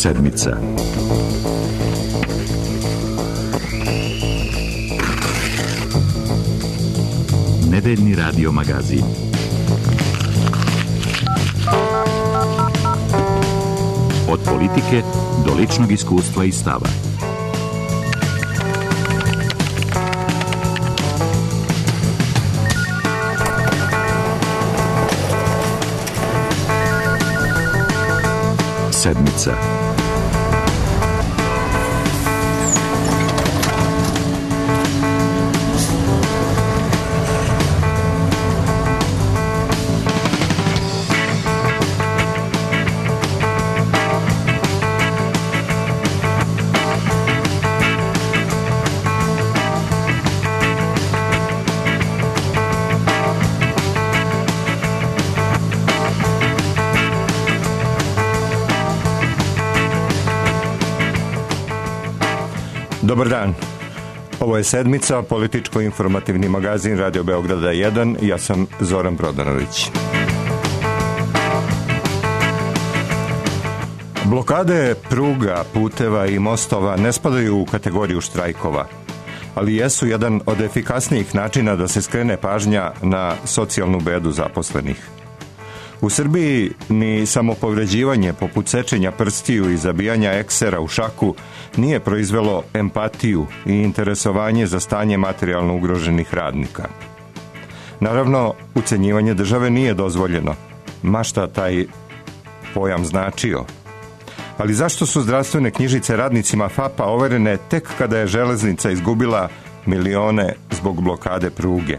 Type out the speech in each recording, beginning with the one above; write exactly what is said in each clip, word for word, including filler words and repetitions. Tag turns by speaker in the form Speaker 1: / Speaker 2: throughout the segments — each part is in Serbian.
Speaker 1: Sedmica. Nedeljni radio magazin. Od politike do ličnog iskustva i stava. Sedmica.
Speaker 2: Dobar dan. Ovo je Sedmica, političko-informativni magazin Radio Beograda jedan. Ja sam Zoran Prodanović. Blokade pruga, puteva i mostova ne spadaju u kategoriju štrajkova, ali jesu jedan od efikasnijih načina da se skrene pažnja na socijalnu bedu zaposlenih. U Srbiji ni samopovređivanje poput sečenja prstiju i zabijanja eksera u šaku nije proizvelo empatiju i interesovanje za stanje materijalno ugroženih radnika. Naravno, ucenjivanje države nije dozvoljeno, ma šta taj pojam značio. Ali zašto su zdravstvene knjižice radnicima F A P-a overene tek kada je železnica izgubila milione zbog blokade pruge?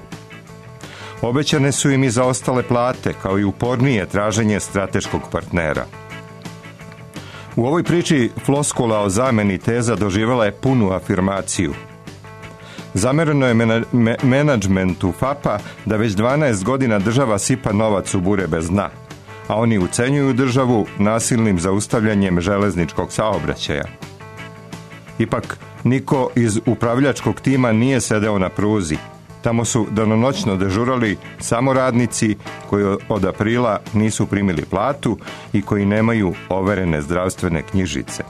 Speaker 2: Obećane su im i zaostale plate, kao i upornije traženje strateškog partnera. U ovoj priči floskula o zameni teza doživjela je punu afirmaciju. Zamereno je mena, me, menadžmentu F A P-a da već dvanaest godina država sipa novac u bure bez dna, a oni ucenjuju državu nasilnim zaustavljanjem železničkog saobraćaja. Ipak, niko iz upravljačkog tima nije sedeo na pruzi. Tamo su danonoćno dežurali samo radnici koji od aprila nisu primili platu i koji nemaju overene zdravstvene knjižice.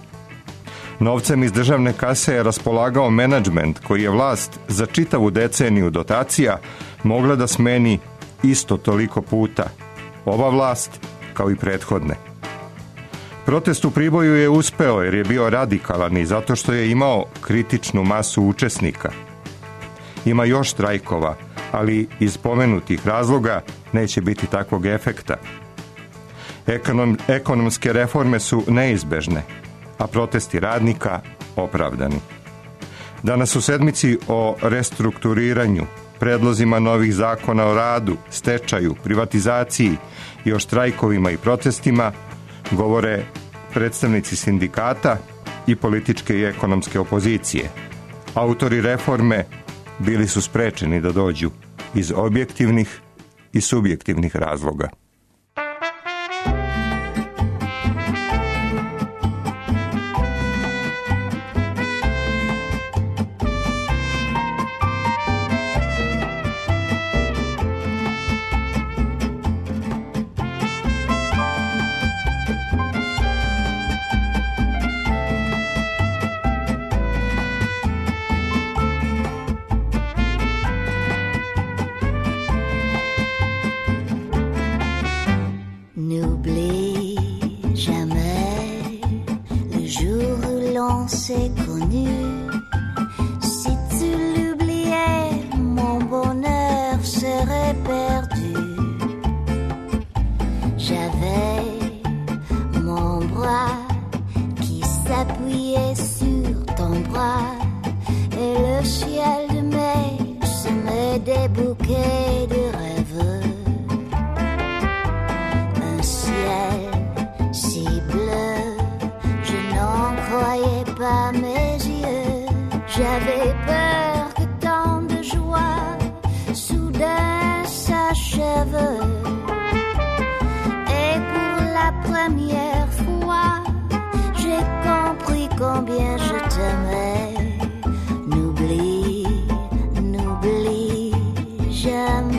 Speaker 2: Novcem iz državne kase je raspolagao menadžment koji je vlast za čitavu deceniju dotacija mogla da smeni isto toliko puta. Ova vlast kao i prethodne. Protest u Priboju je uspeo jer je bio radikalan i zato što je imao kritičnu masu učesnika. Ima još štrajkova, ali iz pomenutih razloga neće biti takvog efekta. Ekonom, ekonomske reforme su neizbežne, a protesti radnika opravdani. Danas u Sedmici o restrukturiranju, predlozima novih zakona o radu, stečaju, privatizaciji i o štrajkovima i protestima govore predstavnici sindikata i političke i ekonomske opozicije. Autori reforme bili su sprečeni da dođu iz objektivnih i subjektivnih razloga.
Speaker 3: J'avais peur que tant de joie soudain s'achève. Et pour la première fois, j'ai compris combien je t'aimais. N'oublie, n'oublie jamais.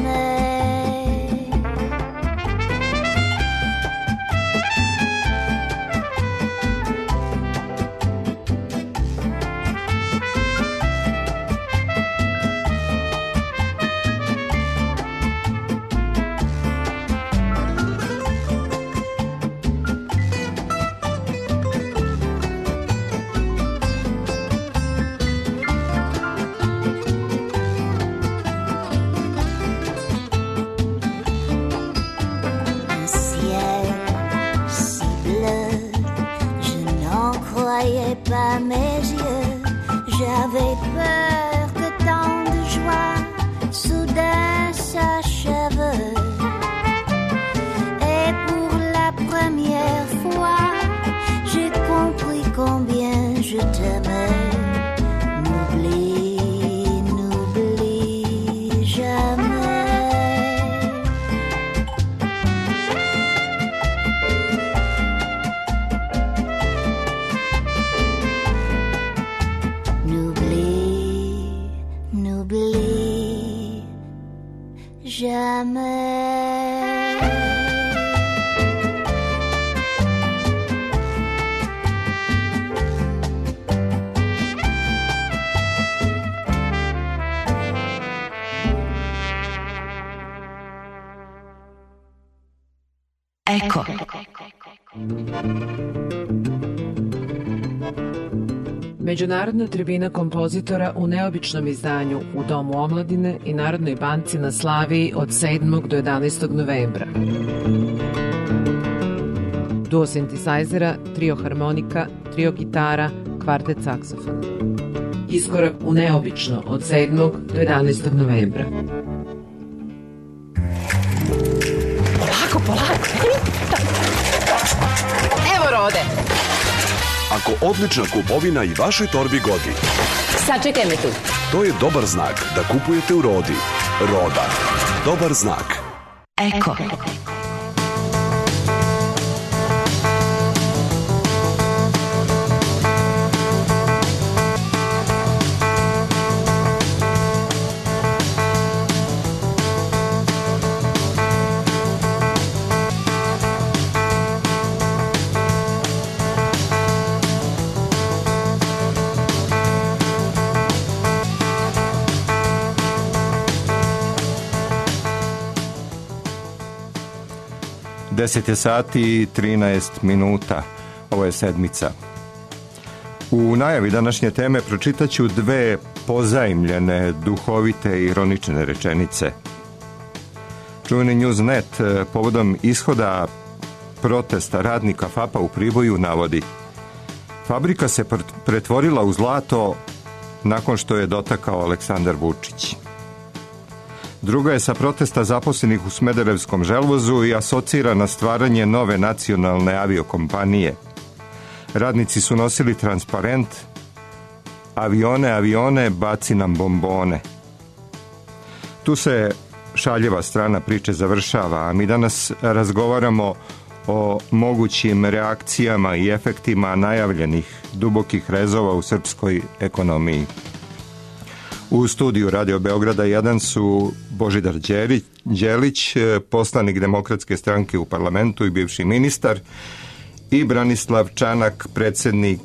Speaker 4: Eko.
Speaker 5: Međunarodna tribina kompozitora u neobičnom izdanju u Domu omladine i Narodnoj banci na Slaviji od sedmog do jedanaestog novembra. Duo sintesajzera, trio harmonika, trio gitara, kvartet saksofona. Iskorak u neobično od sedmog do jedanaestog novembra.
Speaker 4: Polako, polako. Evo Rode.
Speaker 6: Ako odlična kupovina i vašoj torbi godi,
Speaker 4: Sačekaj me tu.
Speaker 6: to je dobar znak da kupujete u Rodi. Roda. Dobar znak.
Speaker 4: Eko.
Speaker 2: deset je sati i trinaest minuta. Ovo je sedmica. U najavi današnje teme pročitaću dve pozajmljene, duhovite i ironične rečenice. Čuveni Newsnet povodom ishoda protesta radnika F A P-a u Priboju navodi: fabrika se pretvorila u zlato nakon što je dotakao Aleksandar Vučić. Druga je sa protesta zaposlenih u Smederevskom želvozu i asocira na stvaranje nove nacionalne aviokompanije. Radnici su nosili transparent: avione, avione, baci nam bombone. Tu se šaljeva strana priče završava, a mi danas razgovaramo o mogućim reakcijama i efektima najavljenih dubokih rezova u srpskoj ekonomiji. U studiju Radio Beograda jedan su Božidar Đelić, poslanik Demokratske stranke u parlamentu i bivši ministar, i Branislav Čanak, predsjednik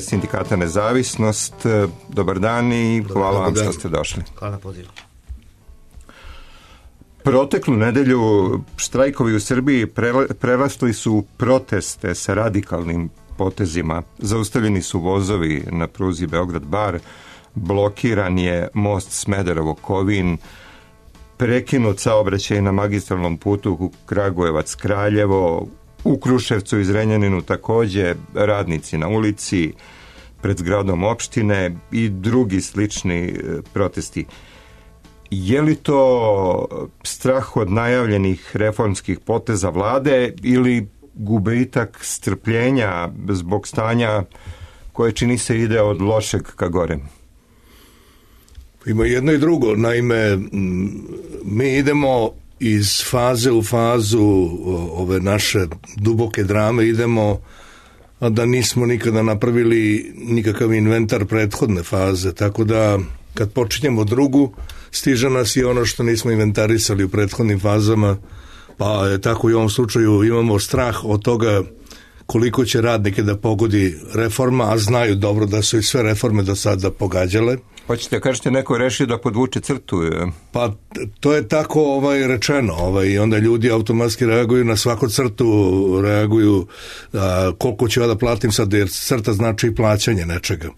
Speaker 2: Sindikata Nezavisnost. Dobar dan i hvala vam što ste došli.
Speaker 7: Hvala na pozivu.
Speaker 2: Proteklu nedelju štrajkovi u Srbiji prerasli su proteste sa radikalnim potezima. Zaustavljeni su vozovi na pruzi Beograd-Bar, blokiran je most Smederevo-Kovin, prekinut saobraćaj na magistralnom putu Kragujevac-Kraljevo, u Kruševcu i Zrenjaninu takođe radnici na ulici, pred zgradom opštine i drugi slični protesti. Je li to strah od najavljenih reformskih poteza vlade ili gubitak strpljenja zbog stanja koje čini se ide od lošeg ka gore?
Speaker 7: Ima jedno i drugo. Naime, mi idemo iz faze u fazu ove naše duboke drame, idemo a da nismo nikada napravili nikakav inventar prethodne faze, tako da kad počinjemo drugu, stiže nas i ono što nismo inventarisali u prethodnim fazama, pa je tako i u ovom slučaju imamo strah od toga koliko će radnike da pogodi reforma, a znaju dobro da su i sve reforme do sada pogađale.
Speaker 2: Hoćete, kažete, neko je rešio da podvuče crtu?
Speaker 7: Pa to je tako ovaj, rečeno. Ovaj, I onda ljudi automatski reaguju na svaku crtu, reaguju a, koliko ću ja da platim sad, jer crta znači plaćanje nečega.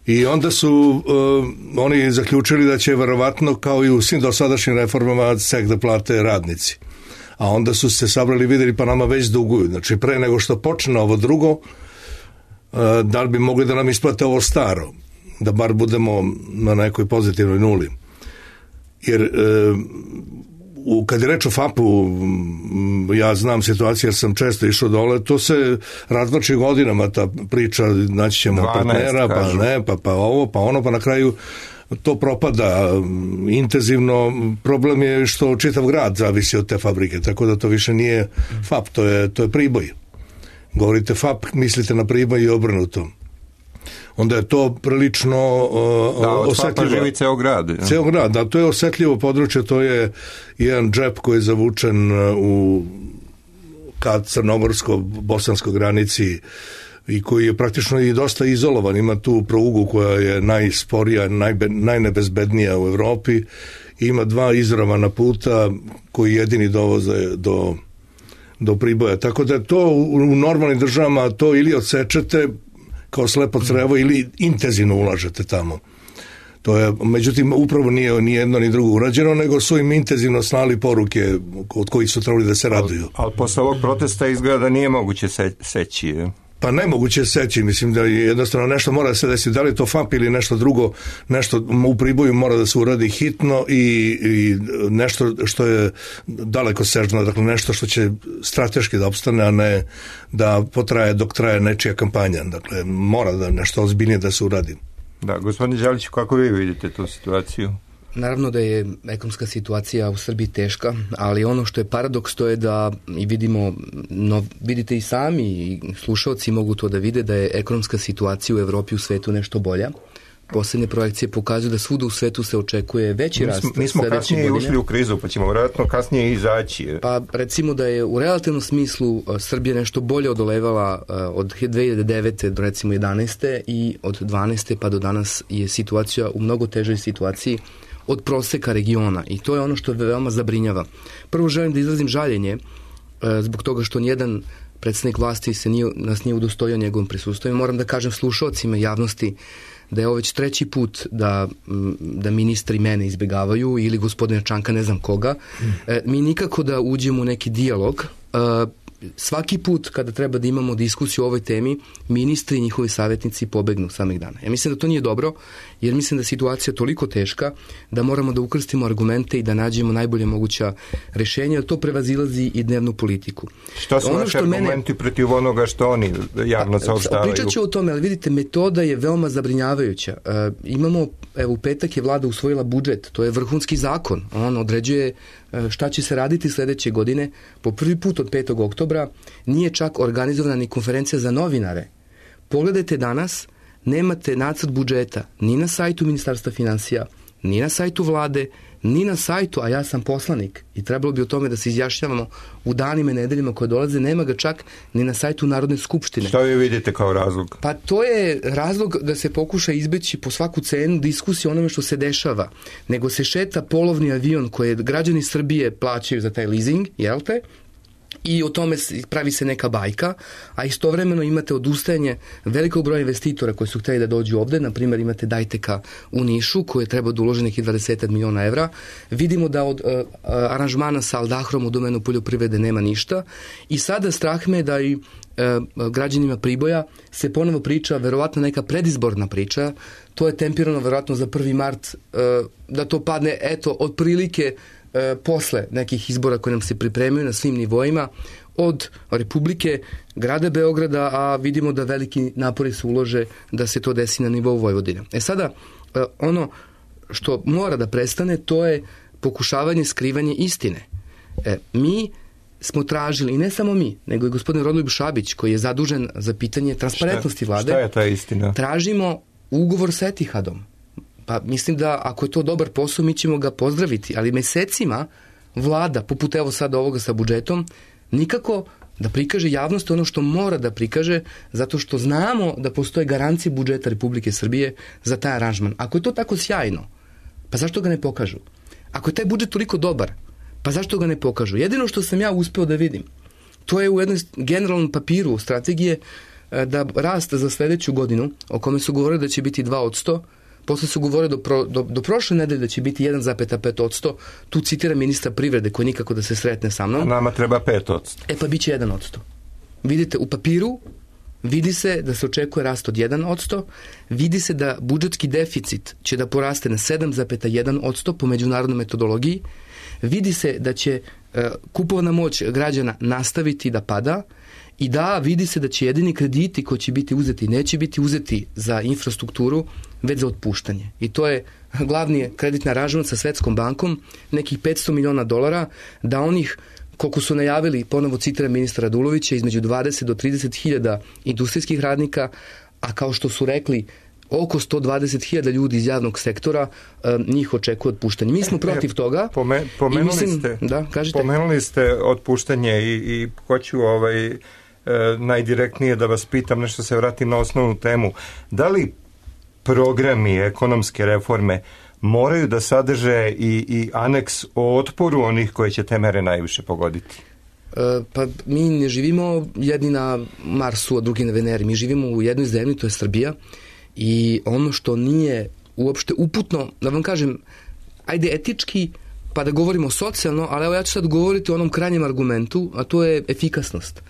Speaker 7: I onda su uh, oni zaključili da će verovatno, kao i u svim dosadašnjim reformama, ceh da plate radnici. A onda su se sabrali, vidjeli, pa nama već duguju. Znači, pre nego što počne ovo drugo, uh, da li bi mogli da nam isplate ovo staro, da bar budemo na nekoj pozitivnoj nuli. Jer uh, u, kad je reč o F A P-u, ja znam situaciju jer sam često išao dole, to se razvlači godinama, ta priča, naći ćemo partnera, pa ne, pa, pa ovo, pa ono, pa na kraju to propada intenzivno. Problem je što čitav grad zavisi od te fabrike, tako da to više nije F A P, to je, to je Priboj. Govorite F A P, mislite na Priboj i obrnuto. Onda je to prilično uh,
Speaker 2: da, od
Speaker 7: osetljivo.
Speaker 2: F A P-a živi ceo grad. Ja.
Speaker 7: Ceo grad, da, to je osetljivo područje, to je jedan džep koji je zavučen u ka crnogorsko-bosanskoj granici i koji je praktično i dosta izolovan. Ima tu prugu koja je najsporija, najbe, najnebezbednija u Evropi. Ima dva izravana puta koji jedini dovoze do do Priboja. Tako da to u, u normalnim državama to ili odsečete kao slepo crevo ili intenzivno ulažete tamo. To je, međutim, upravo nije ni jedno ni drugo urađeno, nego su im intenzivno slali poruke od kojih su trebali da se raduju.
Speaker 2: Ali, ali posle ovog protesta izgleda da nije moguće se, seći. Je.
Speaker 7: Pa nemoguće seći, mislim da je jednostavno nešto mora da se desi, da li je to F A P ili nešto drugo, nešto u Priboju mora da se uradi hitno i, i nešto što je daleko sežno, dakle nešto što će strateški da opstane, a ne da potraje dok traje nečija kampanja. Dakle, mora da nešto ozbiljnije da se uradi.
Speaker 2: Da, gospodine Đeliću, kako vi vidite tu situaciju?
Speaker 8: Naravno da je ekonomska situacija u Srbiji teška, ali ono što je paradoks to je da i vidimo, no, vidite i sami i slušalci mogu to da vide da je ekonomska situacija u Evropi i u svetu nešto bolja. Poslednje projekcije pokazuju da svuda u svetu se očekuje veći rast.
Speaker 2: Mi smo kasnije ušli u krizu, pa ćemo vjerojatno kasnije izaći.
Speaker 8: Pa recimo da je u relativnom smislu Srbija nešto bolje odolevala od dve hiljade devete do recimo jedanaeste i od dvanaeste pa do danas je situacija u mnogo težoj situaciji od proseka regiona i to je ono što veoma zabrinjava. Prvo želim da izrazim žaljenje zbog toga što nijedan predstavnik vlasti se nije, nas nije udostojio njegovom prisustvom. Moram da kažem slušalcima javnosti da je ovo već treći put da, da ministri mene izbjegavaju ili gospodina Čanka, ne znam koga. E, mi nikako da uđemo u neki dijalog. E, svaki put kada treba da imamo diskusiju o ovoj temi, ministri i njihovi savjetnici pobegnu samih dana. Ja mislim da to nije dobro, jer mislim da je situacija toliko teška da moramo da ukrstimo argumente i da nađemo najbolje moguća rešenja, jer to prevazilazi i dnevnu politiku.
Speaker 2: Šta su vaši argumenti mene... protiv onoga što oni javno saopštavaju?
Speaker 8: Pričat ću o tome, ali vidite, metoda je veoma zabrinjavajuća. E, imamo, evo, u petak je vlada usvojila budžet, to je vrhunski zakon. On određuje šta će se raditi sljedeće godine. Po prvi put od petog oktobra nije čak organizovana ni konferencija za novinare. Pogledajte danas, nemate nacrt budžeta ni na sajtu Ministarstva finansija, ni na sajtu vlade, ni na sajtu, a ja sam poslanik i trebalo bi o tome da se izjašnjavamo u danima i nedeljima koje dolaze, nema ga čak ni na sajtu Narodne skupštine.
Speaker 2: Šta vi vidite kao razlog?
Speaker 8: Pa to je razlog da se pokuša izbeći po svaku cenu diskusiju o onome što se dešava, nego se šeta polovni avion koje građani Srbije plaćaju za taj leasing, jel te? I o tome pravi se neka bajka, a istovremeno imate odustajanje velikog broja investitora koji su htjeli da dođu ovde, na primjer imate Dajteka u Nišu koji je trebao da uloži nekih dvadeset miliona evra. Vidimo da od uh, aranžmana sa Aldahrom u domenu poljoprivrede nema ništa i sada strah me da i uh, građanima Priboja se ponovo priča, verovatno neka predizborna priča, to je tempirano verovatno za prvi mart, uh, da to padne, eto, otprilike E, posle nekih izbora koje nam se pripremaju na svim nivoima, od Republike, grada Beograda, a vidimo da veliki napori se ulože da se to desi na nivou Vojvodine. E sada, e, ono što mora da prestane, to je pokušavanje skrivanje istine. E, mi smo tražili, i ne samo mi, nego i gospodin Rodoljub Šabić, koji je zadužen za pitanje transparentnosti vlade.
Speaker 2: Šta je ta istina?
Speaker 8: Tražimo ugovor sa Etihadom. Pa mislim da ako je to dobar posao, mi ćemo ga pozdraviti, ali mesecima vlada, poput evo sada ovoga sa budžetom, nikako da prikaže javnost ono što mora da prikaže, zato što znamo da postoje garancije budžeta Republike Srbije za taj aranžman. Ako je to tako sjajno, pa zašto ga ne pokažu? Ako je taj budžet toliko dobar, pa zašto ga ne pokažu? Jedino što sam ja uspeo da vidim, to je u jednom generalnom papiru strategije da rast za sljedeću godinu, o kome su govorili da će biti dva posto, posle su govorili do, pro, do, do prošle nedelje da će biti jedan zarez pet posto, tu citira ministra privrede koji nikako da se sretne sa mnom.
Speaker 2: A nama treba pet posto.
Speaker 8: E pa bit će jedan posto. Vidite, u papiru vidi se da se očekuje rast od jedan posto, vidi se da budžetski deficit će da poraste na sedam zarez jedan posto po međunarodnoj metodologiji, vidi se da će uh, kupovna moć građana nastaviti da pada i da, vidi se da će jedini krediti koji će biti uzeti neće biti uzeti za infrastrukturu, već za otpuštanje. I to je glavni kreditni aranžman sa Svetskom bankom, nekih petsto miliona dolara, da onih, koliko su najavili, ponovo citira ministra Radulovića, između dvadeset do trideset hiljada industrijskih radnika, a kao što su rekli, oko sto dvadeset hiljada ljudi iz javnog sektora, njih očekuje otpuštanje. Mi smo protiv toga.
Speaker 2: Pome, pomenuli,
Speaker 8: mislim,
Speaker 2: ste,
Speaker 8: da,
Speaker 2: pomenuli ste otpuštanje i, i hoću ovaj, e, najdirektnije da vas pitam, nešto se vratim na osnovnu temu. Da li programi ekonomske reforme moraju da sadrže i, i aneks o otporu onih koji će te mere najviše pogoditi?
Speaker 8: Pa mi ne živimo jedni na Marsu, a drugi na Veneri. Mi živimo u jednoj zemlji, to je Srbija, i ono što nije uopšte uputno, da vam kažem, ajde etički, pa da govorimo socijalno, ali evo ja ću sad govoriti o onom krajnjem argumentu, a to je efikasnost.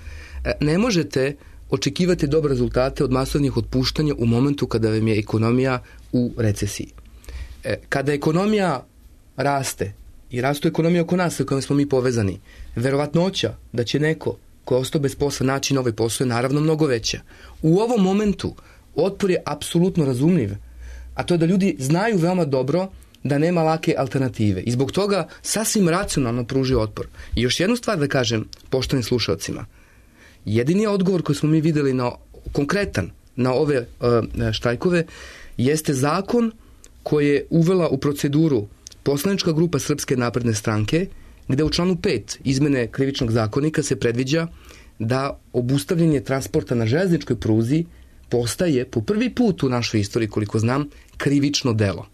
Speaker 8: Ne možete očekivati dobre rezultate od masovnih otpuštanja u momentu kada vam je ekonomija u recesiji. Kada ekonomija raste, i rastu ekonomija oko nas sa kojom smo mi povezani, verovatnoća da će neko ko je ostao bez posla naći novi posao je naravno mnogo veća. U ovom momentu otpor je apsolutno razumljiv, a to je da ljudi znaju veoma dobro da nema lake alternative i zbog toga sasvim racionalno pružio otpor. I još jednu stvar da kažem poštovanim slušalcima. Jedini odgovor koji smo mi videli na, konkretan na ove uh, štrajkove jeste zakon koji je uvela u proceduru poslanička grupa Srpske napredne stranke, gde u članu pet izmene krivičnog zakonika se predviđa da obustavljanje transporta na železničkoj pruzi postaje po prvi put u našoj istoriji, koliko znam, krivično delo.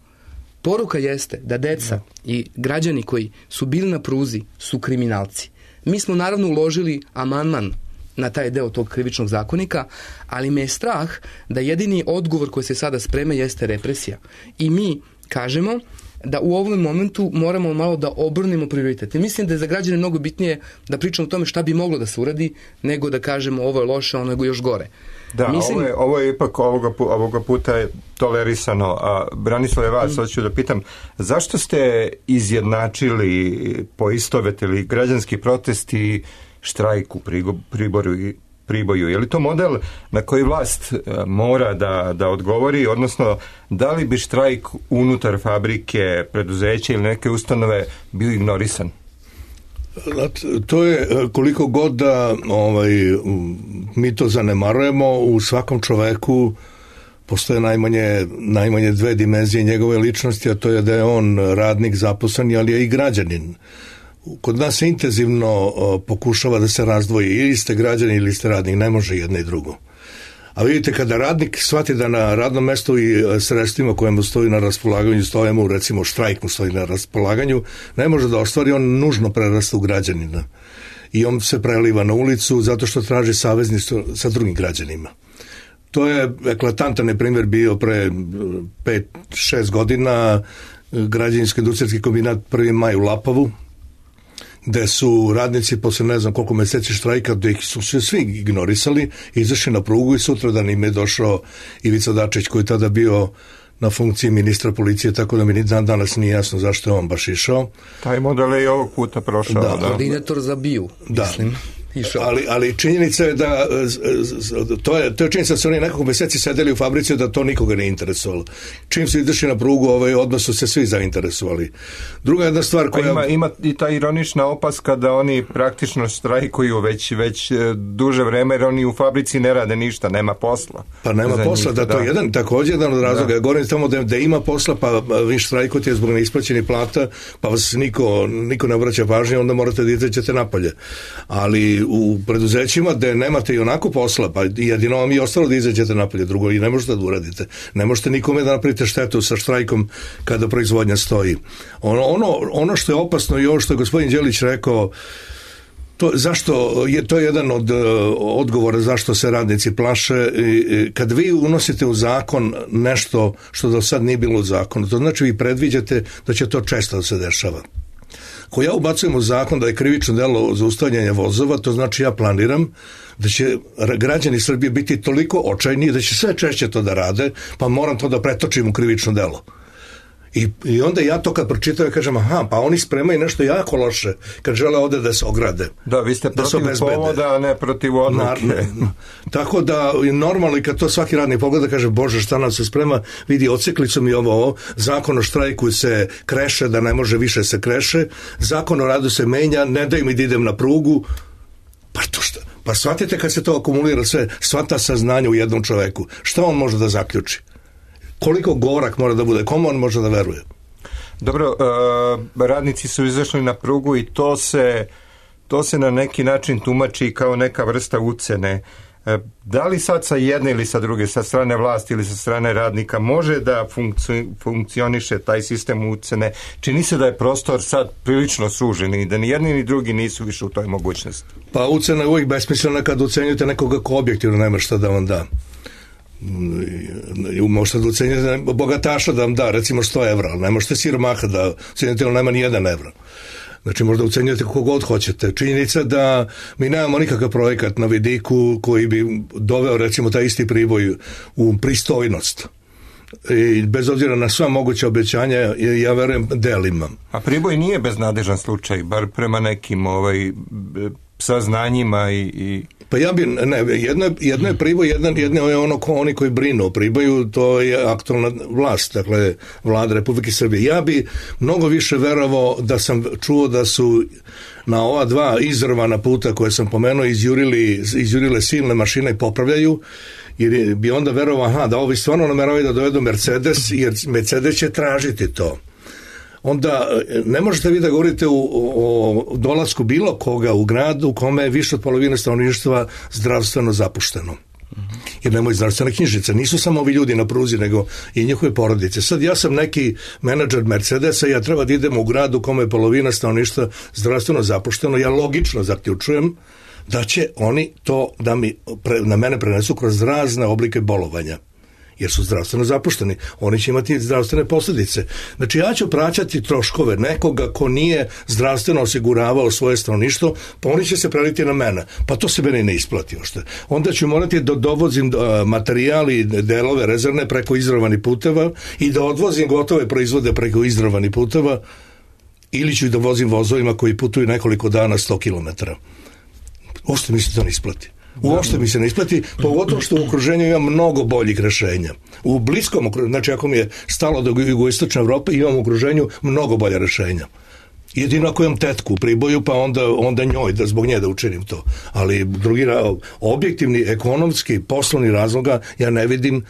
Speaker 8: Poruka jeste da deca i građani koji su bili na pruzi su kriminalci. Mi smo naravno uložili amandman na taj deo tog krivičnog zakonika, ali me je strah da jedini odgovor koji se sada sprema jeste represija. I mi kažemo da u ovom momentu moramo malo da obrnemo prioritete. Mislim da je za građane mnogo bitnije da pričamo o tome šta bi moglo da se uradi, nego da kažemo ovo je loše, ono je još gore.
Speaker 2: Da, Mislim... ovo, je, ovo je ipak ovoga, ovoga puta je tolerisano. A Branislave, vas mm. hoću da pitam, zašto ste izjednačili, poistovetili građanski protest i štrajk u Priboju, Priboju? Je li to model na koji vlast mora da, da odgovori, odnosno da li bi štrajk unutar fabrike, preduzeća ili neke ustanove bio ignorisan?
Speaker 7: To je koliko god da ovaj, mi to zanemarujemo, u svakom čoveku postoje najmanje, najmanje dve dimenzije njegove ličnosti, a to je da je on radnik, zaposlen, ali je i građanin. Kod nas se intenzivno pokušava da se razdvoji, ili ste građani ili ste radnik, ne može jedno i drugo. A vidite, kada radnik shvati da na radnom mestu i sredstvima koje mu stoji na raspolaganju, stoje mu, recimo štrajk mu stoji na raspolaganju, ne može da ostvari, on nužno prerasta u građanina. I on se preliva na ulicu zato što traži savezništvo sa drugim građanima. To je eklatantan primjer bio pre pet šest godina, građevinsko-industrijski kombinat Prvi maj u Lapovu, gde su radnici posle ne znam koliko meseci štrajka, da ih su se svi ignorisali, izašli na prugu i sutradan im je došao Ivica Dačić, koji je tada bio na funkciji ministra policije, tako da mi ni dan danas nije jasno zašto je on baš išao.
Speaker 2: Taj model je i ovog puta prošao.
Speaker 8: Da, da. Koordinator za BIU, da. Mislim.
Speaker 7: Ali, ali činjenica je da to je, to je činjenica da su oni nekoliko meseci sedeli u fabrici, da to nikoga ne interesovalo. Čim su izašli na prugu, ovaj, odmah su se svi zainteresovali. Druga jedna stvar koja...
Speaker 2: Pa ima, ima i ta ironična opaska da oni praktično štrajkuju već, već duže vreme, jer oni u fabrici ne rade ništa, nema posla.
Speaker 7: Pa nema posla, njih, da, da to je jedan, također jedan od razloga. Da. Govorim tamo da, da ima posla, pa vi štrajkujete zbog neisplaćenih plata, pa vas niko, niko ne obraća pažnje, onda morate da izađete napolje. Ali u preduzećima gde nemate i onako posla, pa jedino vam je ostalo da izađete napolje, drugo i ne možete da uradite. Ne možete nikome da napravite štetu sa štrajkom kada proizvodnja stoji. Ono, ono, ono što je opasno i ovo što je gospodin Đelić rekao, to, zašto, je, to je jedan od uh, odgovora zašto se radnici plaše. I, kad vi unosite u zakon nešto što do sad nije bilo u zakonu, to znači vi predviđate da će to često da se dešava. Ko ja ubacujem u zakon da je krivično delo zaustavljanje vozova, to znači ja planiram da će građani Srbije biti toliko očajni da će sve češće to da rade, pa moram to da pretočim u krivično delo. I, i onda ja to kad pročitam i kažem, aha, pa oni spremaju nešto jako loše kad žele ovde da se ograde.
Speaker 2: Da, vi ste protiv povoda, a ne protiv odluke. Na, ne.
Speaker 7: Tako da normalno i kad to svaki radnik pogleda kaže, bože šta nam se sprema, vidi oceklicu mi ovo, ovo, zakon o štrajku se kreše, da ne može više se kreše, zakon o radu se menja, ne daj mi da idem na prugu, pa to šta? Pa shvatite kad se to akumulira sve, shvata saznanje u jednom čoveku, šta on može da zaključi? Koliko gorak mora da bude, komu on može da veruje?
Speaker 2: Dobro, uh, radnici su izašli na prugu i to se, to se na neki način tumači kao neka vrsta ucene. Da li sad sa jedne ili sa druge, sa strane vlasti ili sa strane radnika može da funkcioniše taj sistem ucene? Čini se da je prostor sad prilično sužen i da ni jedni ni drugi nisu više u toj mogućnosti.
Speaker 7: Pa ucena je uvijek besmislena kad ucenjujete nekoga ko objektivno nema šta da vam da. Možete da ucenjujete bogataša da vam da recimo sto evra, ali ne možete siromaha da ucenjujete, ali nema ni jedan evra. Znači možda ucenjujete kako god hoćete. Činjenica da mi nemamo nikakav projekat na vidiku koji bi doveo recimo taj isti Priboj u pristojnost. I bez obzira na sva moguća obećanja, ja verujem delima.
Speaker 2: A Priboj nije beznadežan slučaj, bar prema nekim ovaj, saznanjima i... i...
Speaker 7: Pa ja bi, ne, jedno je, jedno je Priboj, jedno, jedno je ono ko, oni koji brinu o Priboju, to je aktualna vlast, dakle vlada Republike Srbije. Ja bi mnogo više verovao da sam čuo da su na ova dva izrvana puta koje sam pomenuo izjurili, izjurile silne mašine i popravljaju, jer bi onda verovao, aha, da ovi stvarno nameravaju da dovedu Mercedes, jer Mercedes će tražiti to. Onda ne možete vi da govorite o, o dolasku bilo koga u gradu u kome je više od polovine stanovništva zdravstveno zapušteno. Jer nemaju zdravstvene knjižice. Nisu samo ovi ljudi na pruzi, nego i njihove porodice. Sad ja sam neki menadžer Mercedesa i ja treba da idem u gradu u kome je polovina stanovništva zdravstveno zapušteno. Ja logično zaključujem da će oni to da mi, pre, na mene prenesu kroz razne oblike bolovanja. Jer su zdravstveno zapušteni. Oni će imati zdravstvene posljedice. Znači ja ću praćati troškove nekoga ko nije zdravstveno osiguravao svoje stanovništvo, pa oni će se preliti na mene. Pa to se meni ne isplati ošte. Onda ću morati da dovozim materijali i delove rezervne preko izrovanih puteva i da odvozim gotove proizvode preko izrovanih puteva ili ću da vozim vozovima koji putuju nekoliko dana sto kilometara. Ošte mi se to ne isplati. Uopšte mi se ne isplati, pogotovo što u okruženju ima mnogo boljih rešenja. U bliskom okruženju, znači ako mi je stalo do jugoistočne Evrope, imam u okruženju mnogo bolja rešenja. Jedino ako imam tetku u Priboju, pa onda, onda njoj, da zbog nje da učinim to. Ali drugi, objektivni, ekonomski, poslovni razloga ja ne vidim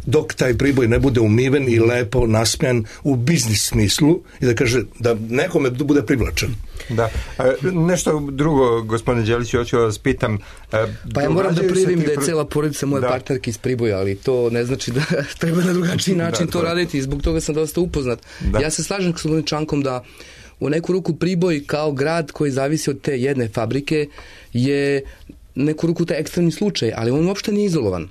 Speaker 7: dok taj Priboj ne bude umiven i lepo nasmjan u biznis smislu i da kaže da nekome bude privlačan.
Speaker 2: Da. E, nešto drugo, gospodine Đeliću, hoću vas pitam. E,
Speaker 8: pa ja moram da prijavim da je cela porodica moje da. partnerke iz Priboja, ali to ne znači da treba na drugačiji način da, to da. raditi i zbog toga sam dosta upoznat. Da. Ja se slažem s gospodinom Čankom da u neku ruku Priboj kao grad koji zavisi od te jedne fabrike je neku ruku taj ekstremni slučaj, ali on uopšte nije izolovan.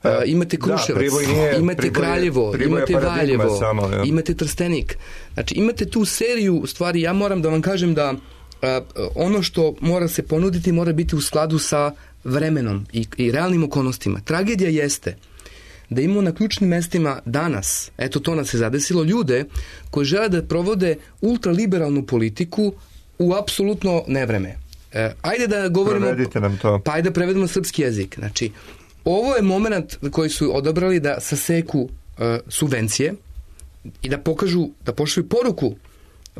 Speaker 8: Uh, imate Kruševac, da, nije, imate Priboj, Kraljevo, Priboj imate Valjevo, samo, ja. imate Trstenik. Znači imate tu seriju stvari, ja moram da vam kažem da uh, ono što mora se ponuditi mora biti u skladu sa vremenom i, i realnim okolnostima. Tragedija jeste da imamo na ključnim mestima danas, eto to nas se zadesilo, ljude koji žele da provode ultraliberalnu politiku u apsolutno nevreme. Uh, ajde da govorimo...
Speaker 2: Prevedite nam to.
Speaker 8: Pa ajde da prevedemo na srpski jezik. Znači, ovo je moment koji su odabrali da saseku uh, subvencije i da pokažu, da pošalju poruku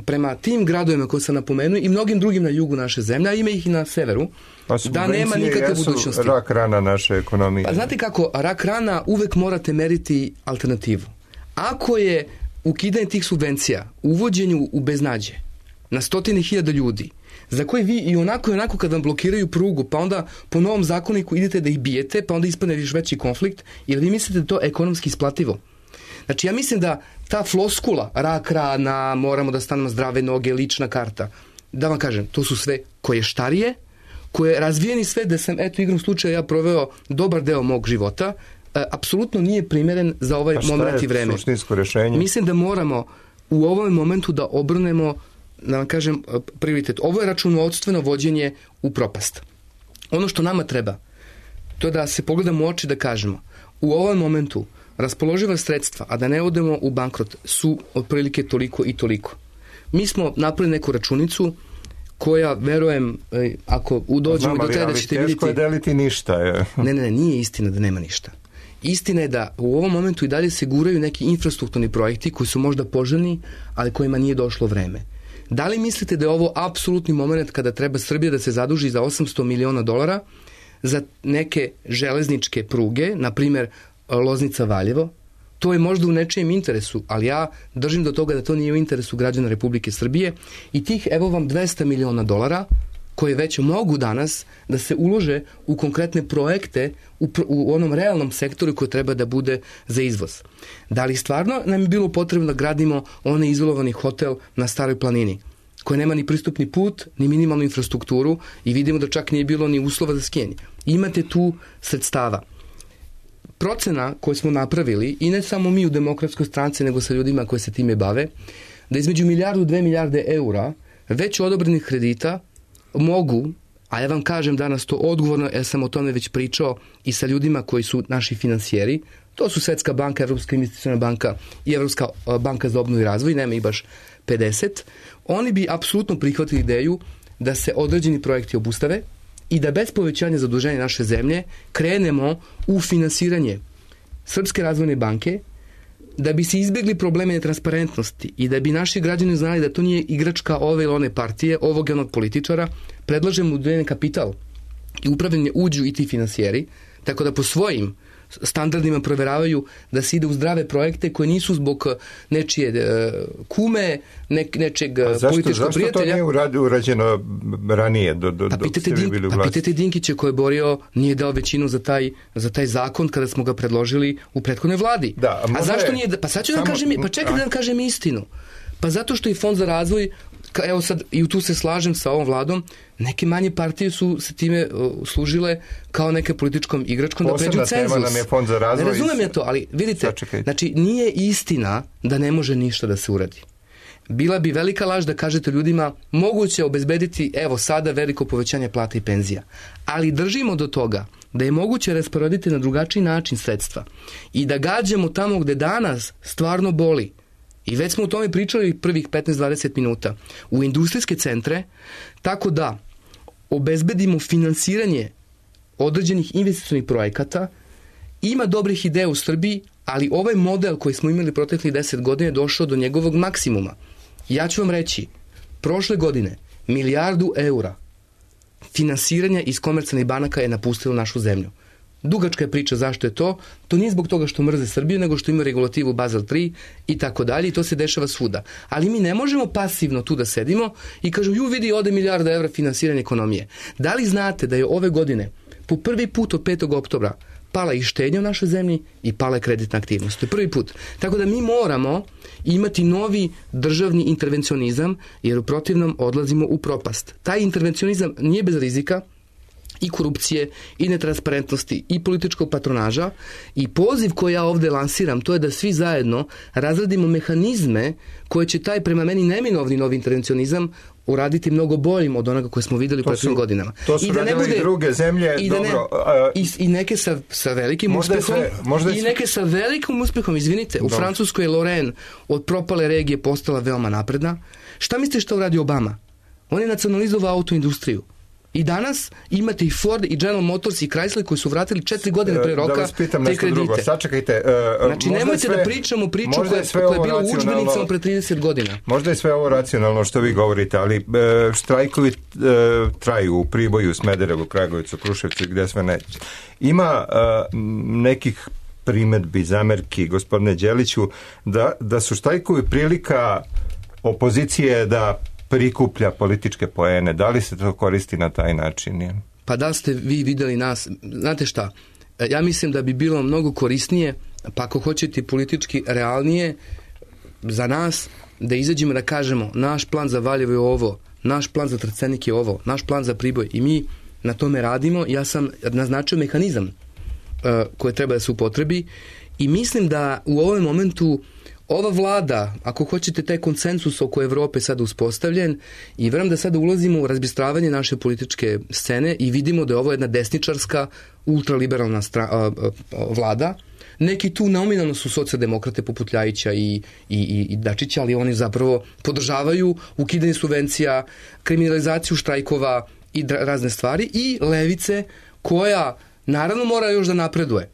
Speaker 8: prema tim gradovima koje sam napomenuo i mnogim drugim na jugu naše zemlje, a ima ih i na severu,
Speaker 2: pa
Speaker 8: da nema nikakve budućnosti.
Speaker 2: Rak rana naše ekonomije.
Speaker 8: Pa znate kako, rak rana uvek morate meriti alternativu. Ako je ukidanje tih subvencija, uvođenju u beznađe na stotine hiljada ljudi, za koje vi i onako i onako kad vam blokiraju prugu, pa onda po novom zakoniku idete da ih bijete, pa onda ispadne još veći konflikt, ili vi mislite da to ekonomski isplativo? Znači ja mislim da ta floskula, rak rana, moramo da stanemo zdrave noge, lična karta, da vam kažem, to su sve koje štarije, koje razvijeni sve da sam, eto igrom slučaja ja proveo dobar deo mog života, e, apsolutno nije primjeren za ovaj moment i vreme.
Speaker 2: A šta je suštinsko rešenje?
Speaker 8: Mislim da moramo u ovom momentu da obrnemo, da vam kažem, prioritet. Ovo je računovodstveno vođenje u propast. Ono što nama treba, to je da se pogledamo u oči da kažemo, u ovom momentu raspoloživa sredstva, a da ne odemo u bankrot, su otprilike toliko i toliko. Mi smo napravili neku računicu koja, verujem, ako dođemo do tada ćete vidjeti...
Speaker 2: Teško je deliti ništa. Je.
Speaker 8: Ne, ne, ne, nije istina da nema ništa. Istina je da u ovom momentu i dalje se guraju neki infrastrukturni projekti koji su možda poželjni, ali kojima nije došlo vreme. Da li mislite da je ovo apsolutni moment kada treba Srbija da se zaduži za osamsto miliona dolara za neke železničke pruge, na primjer Loznica-Valjevo? To je možda u nečijem interesu, ali ja držim do toga da to nije u interesu građana Republike Srbije i tih, evo vam, dvesta miliona dolara koje već mogu danas da se ulože u konkretne projekte u, u onom realnom sektoru koji treba da bude za izvoz. Da li stvarno nam je bilo potrebno da gradimo onaj izolovani hotel na Staroj planini, koji nema ni pristupni put, ni minimalnu infrastrukturu i vidimo da čak nije bilo ni uslova za skijanje. Imate tu sredstava. Procena koju smo napravili, i ne samo mi u Demokratskoj stranci, nego sa ljudima koji se time bave, da između milijardu i dve milijarde eura već odobrenih kredita mogu, a ja vam kažem danas to odgovorno, ja sam o tome već pričao i sa ljudima koji su naši finansijeri, to su Svetska banka, Evropska investiciona banka i Evropska banka za obnovu i razvoj, nema i baš pedeset, oni bi apsolutno prihvatili ideju da se određeni projekti obustave i da bez povećanja zaduženja naše zemlje krenemo u finansiranje Srpske razvojne banke, da bi se izbjegli probleme netransparentnosti i da bi naši građani znali da to nije igračka ove ili one partije, ovog i onog političara, predlažemo udvojen kapital i upravljanje uđu i ti finansijeri, tako da po svojim standardima proveravaju da se ide u zdrave projekte koje nisu zbog nečije uh, kume, ne, nečeg
Speaker 2: zašto,
Speaker 8: političkog
Speaker 2: zašto
Speaker 8: prijatelja.
Speaker 2: Zašto to nije urađeno ranije? Do, do,
Speaker 8: pa pitajte,
Speaker 2: dok ste vi bili u vlasti?
Speaker 8: Pa pitajte Dinkića koji je borio, nije dao većinu za taj, za taj zakon kada smo ga predložili u prethodnoj vladi.
Speaker 2: Da, a,
Speaker 8: a zašto
Speaker 2: je,
Speaker 8: nije? Pa sad ću samo, da kažem, pa čekaj
Speaker 2: a...
Speaker 8: da vam kažem istinu. Pa zato što i Fond za razvoj, evo sad, i tu se slažem sa ovom vladom, neke manje partije su se time uh, služile kao neke političkom igračkom da pređu cenzus.
Speaker 2: Posebna tema nam je Fond za razvoj.
Speaker 8: Ne razumem ja to, ali vidite,
Speaker 2: Sačekajte.
Speaker 8: Znači nije istina da ne može ništa da se uradi. Bila bi velika laž da kažete ljudima moguće obezbediti evo sada veliko povećanje plata i penzija. Ali držimo do toga da je moguće rasporediti na drugačiji način sredstva i da gađamo tamo gde danas stvarno boli. I već smo o tome pričali prvih petnaest do dvadeset minuta. U industrijske centre, tako da obezbedimo finansiranje određenih investicionih projekata. Ima dobrih ideja u Srbiji, ali ovaj model koji smo imali proteklih deset godina je došao do njegovog maksimuma. Ja ću vam reći, prošle godine milijardu eura finansiranja iz komercijalnih banaka je napustilo našu zemlju. Dugačka je priča zašto je to. To nije zbog toga što mrze Srbiju, nego što ima regulativu Basel tri i tako dalje i to se dešava svuda. Ali mi ne možemo pasivno tu da sedimo i kažu, ju vidi, ode milijarda evra finansiranje ekonomije. Da li znate da je ove godine po prvi put od petog oktobra pala i štednja u našoj zemlji i pala je kreditna aktivnost. To je prvi put. Tako da mi moramo imati novi državni intervencionizam, jer u protivnom odlazimo u propast. Taj intervencionizam nije bez rizika, i korupcije, i netransparentnosti, i političkog patronaža, i poziv koji ja ovde lansiram, to je da svi zajedno razradimo mehanizme koje će taj, prema meni, neminovni novi intervencionizam uraditi mnogo boljim od onoga koje smo videli u prethodnim godinama.
Speaker 2: To su
Speaker 8: I da ne bude,
Speaker 2: i druge zemlje,
Speaker 8: i da
Speaker 2: dobro.
Speaker 8: Ne,
Speaker 2: a,
Speaker 8: i, I neke sa, sa velikim
Speaker 2: možda
Speaker 8: uspehom,
Speaker 2: sve, možda
Speaker 8: i neke sa velikim uspehom, izvinite,
Speaker 2: dobro.
Speaker 8: U Francuskoj je Lorraine od propale regije postala veoma napredna. Šta mislite što uradi Obama? On je nacionalizovao autoindustriju. I danas imate i Ford i General Motors i Chrysler koji su vratili četiri godine pre roka
Speaker 2: da vas pitam
Speaker 8: te
Speaker 2: nešto
Speaker 8: kredite.
Speaker 2: Drugo. Sačekajte. Uh,
Speaker 8: znači nemojte
Speaker 2: sve,
Speaker 8: da pričamo priču koja je,
Speaker 2: je
Speaker 8: koja je bila u udžbenicama pre trideset godina.
Speaker 2: Možda je sve ovo racionalno što vi govorite, ali uh, štrajkovi uh, traju u Priboju, Smederevu, Kragujevcu, Kruševcu i gde sve ne. Ima uh, nekih primedbi, zamerki, gospodine Đeliću, da, da su štrajkovi prilika opozicije da prikuplja političke poene. Da li se to koristi na taj način? Je?
Speaker 8: Pa da ste vi videli nas, znate šta, ja mislim da bi bilo mnogo korisnije, pa ako hoćete politički realnije, za nas da izađemo da kažemo naš plan za Valjevo je ovo, naš plan za Trstenik je ovo, naš plan za Priboj i mi na tome radimo. Ja sam naznačio mehanizam uh, koji treba da se upotrebi i mislim da u ovom momentu ova vlada, ako hoćete taj konsensus oko Evrope sada uspostavljen i verujem da sada ulazimo u razbistravanje naše političke scene i vidimo da je ovo jedna desničarska, ultraliberalna stra, a, a, a, vlada. Neki tu nominalno su socijaldemokrate poput Ljajića i, i, i Dačića, ali oni zapravo podržavaju ukidanje subvencija, kriminalizaciju štrajkova i razne stvari i levice koja naravno mora još da napreduje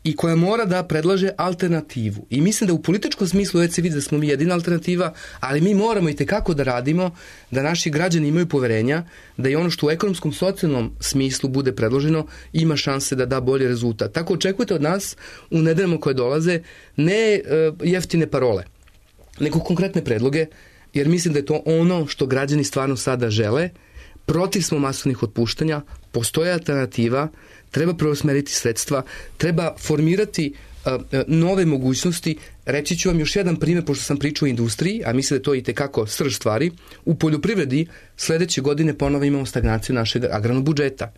Speaker 8: i koja mora da predlaže alternativu. I mislim da u političkom smislu već se vidi da smo mi jedina alternativa, ali mi moramo i tekako da radimo, da naši građani imaju poverenja, da i ono što u ekonomskom, socijalnom smislu bude predloženo, ima šanse da da bolji rezultat. Tako očekujte od nas u nedeljama koje dolaze ne uh, jeftine parole, nego konkretne predloge, jer mislim da je to ono što građani stvarno sada žele, protiv smo masovnih otpuštanja, postoje alternativa, treba preusmeriti sredstva, treba formirati a, a, nove mogućnosti. Reći ću vam još jedan primjer, pošto sam pričao o industriji, a mislim da je to i tekako srž stvari. U poljoprivredi sledeće godine ponovo imamo stagnaciju našeg agrarnog budžeta.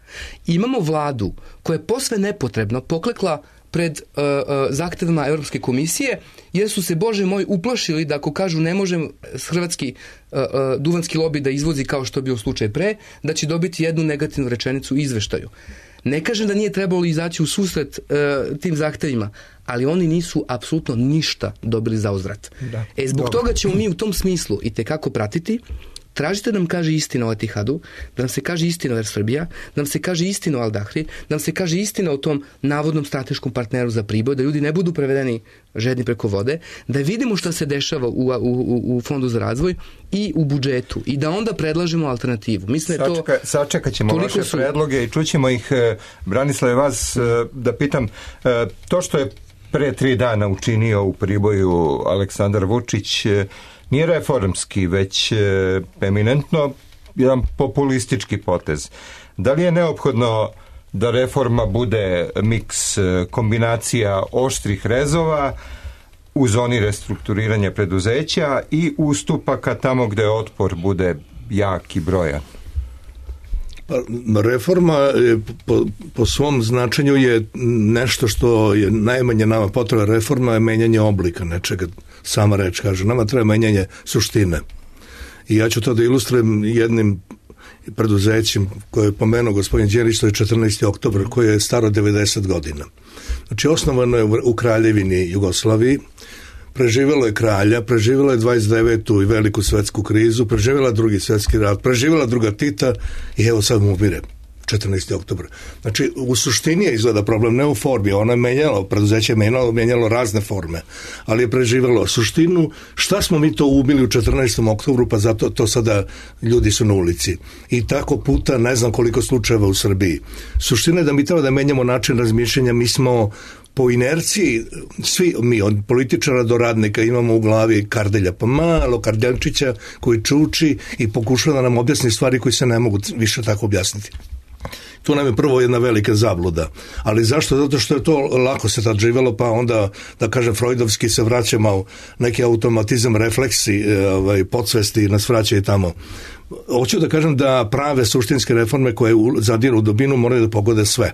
Speaker 8: Imamo vladu koja je posve nepotrebno poklekla pred uh, uh, zahtevima Evropske komisije, jer su se, Bože moj, uplašili da ako kažu ne možem hrvatski uh, uh, duvanski lobi da izvozi kao što je bio slučaj pre, da će dobiti jednu negativnu rečenicu u izveštaju. Ne kažem da nije trebalo izaći u susret uh, tim zahtevima, ali oni nisu apsolutno ništa dobili za uzvrat. Da. E, zbog Dobre. toga ćemo mi u tom smislu i tekako pratiti. Tražite da nam kaže istina o Etihadu, da nam se kaže istina o Air Srbija, da nam se kaže istina o Al Dahri, da nam se kaže istina o tom navodnom strateškom partneru za Priboj, da ljudi ne budu prevedeni žedni preko vode, da vidimo šta se dešava u, u, u, u Fondu za razvoj i u budžetu i da onda predlažemo alternativu. Mislim da je to...
Speaker 2: Sačeka, sačekat ćemo vaše su... predloge i čućemo ih. Branislave, vas da pitam, to što je pre tri dana učinio u Priboju Aleksandar Vučić nije reformski, već eminentno jedan populistički potez. Da li je neophodno da reforma bude miks kombinacija oštrih rezova u zoni restrukturiranja preduzeća i ustupaka tamo gde otpor bude jak i brojan?
Speaker 7: Reforma je, po, po svom značenju je nešto što je najmanje nama potreba. Reforma je menjanje oblika nečega. Sama reč kaže, nama treba menjanje suštine. I ja ću to da ilustrujem jednim preduzećem koje je pomenuo gospodin Đelić, to je četrnaesti oktobar, koje je staro devedeset godina. Znači, osnovano je u Kraljevini Jugoslaviji, preživjelo je kralja, preživjelo je dvadeset devetu i veliku svetsku krizu, preživjela drugi svetski rat, preživjela druga Tita i evo sad mu umire četrnaesti oktobar. Znači, u suštini je izgleda problem, ne u formi, ona je menjala, preduzeće je menjalo, menjalo razne forme, ali je preživjelo suštinu. Šta smo mi to ubili u četrnaestom oktobru, pa zato to sada ljudi su na ulici. I tako puta ne znam koliko slučajeva u Srbiji. Suština je da mi treba da menjamo način razmišljanja. Mi smo po inerciji, svi mi od političara do radnika imamo u glavi Kardelja, pa malo Kardelčića koji čuči i pokušava da nam objasni stvari koji se ne mogu više tako objasniti. Tu nam je prvo jedna velika zabluda. Ali zašto? Zato što je to lako se tad živjelo, pa onda, da kažem, freudovski se vraćamo u neki automatizam, refleksi, ovaj, podsvesti nas vraćaju tamo. Hoću da kažem da prave suštinske reforme koje zadiru u dubinu moraju da pogode sve.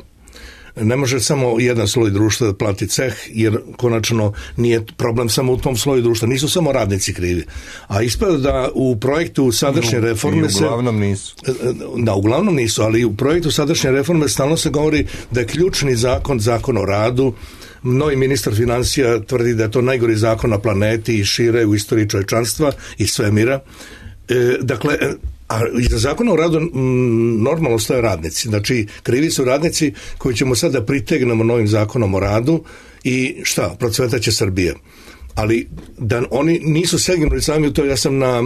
Speaker 7: Ne može samo jedan sloj društva da plati ceh, jer konačno nije problem samo u tom sloju društva. Nisu samo radnici krivi. A ispada da u projektu sadašnje reforme se...
Speaker 2: uglavnom nisu.
Speaker 7: Da, uglavnom nisu, ali u projektu sadašnje reforme stalno se govori da je ključni zakon, zakon o radu. Novi ministar financija tvrdi da je to najgori zakon na planeti i šire u istoriji čovječanstva i svemira. E, dakle... A iza zakona o radu m, normalno stoje radnici. Znači, krivi su radnici koji ćemo sada pritegnemo novim zakonom o radu i šta, procvetaće Srbije. Ali da oni nisu segnuli sami u to, ja sam na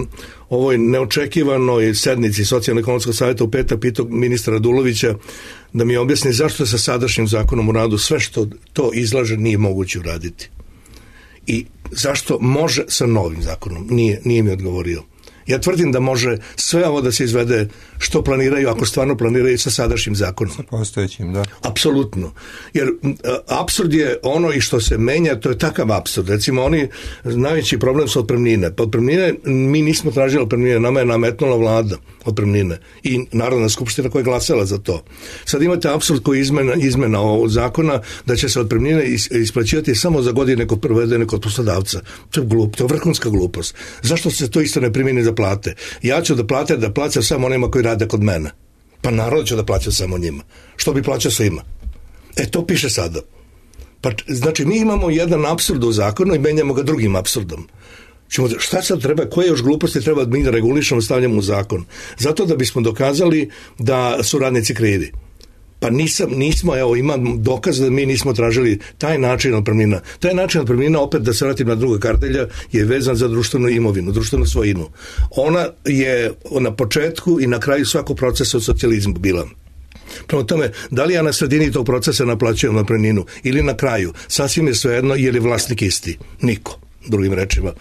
Speaker 7: ovoj neočekivanoj sednici Socijalno-ekonomskog savjeta u petak pitao ministra Radulovića da mi objasni zašto je sa sadašnjim zakonom o radu sve što to izlaže nije moguće uraditi. I zašto može sa novim zakonom? Nije, nije mi odgovorio. Ja tvrdim da može sve ovo da se izvede što planiraju, ako stvarno planiraju sa sadašnjim zakonom.
Speaker 2: Sa postojećim, da.
Speaker 7: Apsolutno. Jer apsurd je ono i što se menja, to je takav apsurd. Recimo, oni, najveći problem su otpremnine. Pa otpremnine, mi nismo tražili otpremnine, nama je nametnula vlada otpremnine i Narodna skupština koja je glasala za to. Sad imate apsurd koji je izmena, izmena ovog zakona da će se otpremnine isplaćivati samo za godine kod provedene kod poslodavca. To je glup, to je vrhunska glupost. Zašto se to isto ne primjeni za plate? Ja ću da plate, da plaćam samo onima koji rade kod mene. Pa naravno ću da plaćam samo njima. Što bi plaćao svima? E, to piše sada. Pa, znači, mi imamo jedan apsurd u zakonu i menjamo ga drugim apsurdom. Čemo, šta sad treba, koje još gluposti treba mi da regulišemo, stavljamo u zakon? Zato da bismo dokazali da su radnici krivi. Pa nisam, nismo, evo, imam dokaz da mi nismo tražili taj način otpremnina. Taj način otpremnina, opet da se vratim na druga Kardelja, je vezan za društvenu imovinu, društvenu svojinu. Ona je na početku i na kraju svakog procesa u socijalizmu bila. Prema tome, da li ja na sredini tog procesa naplaćujem otpremninu ili na kraju, sasvim je svejedno, je li vlasnik isti? Niko, drugim rečima.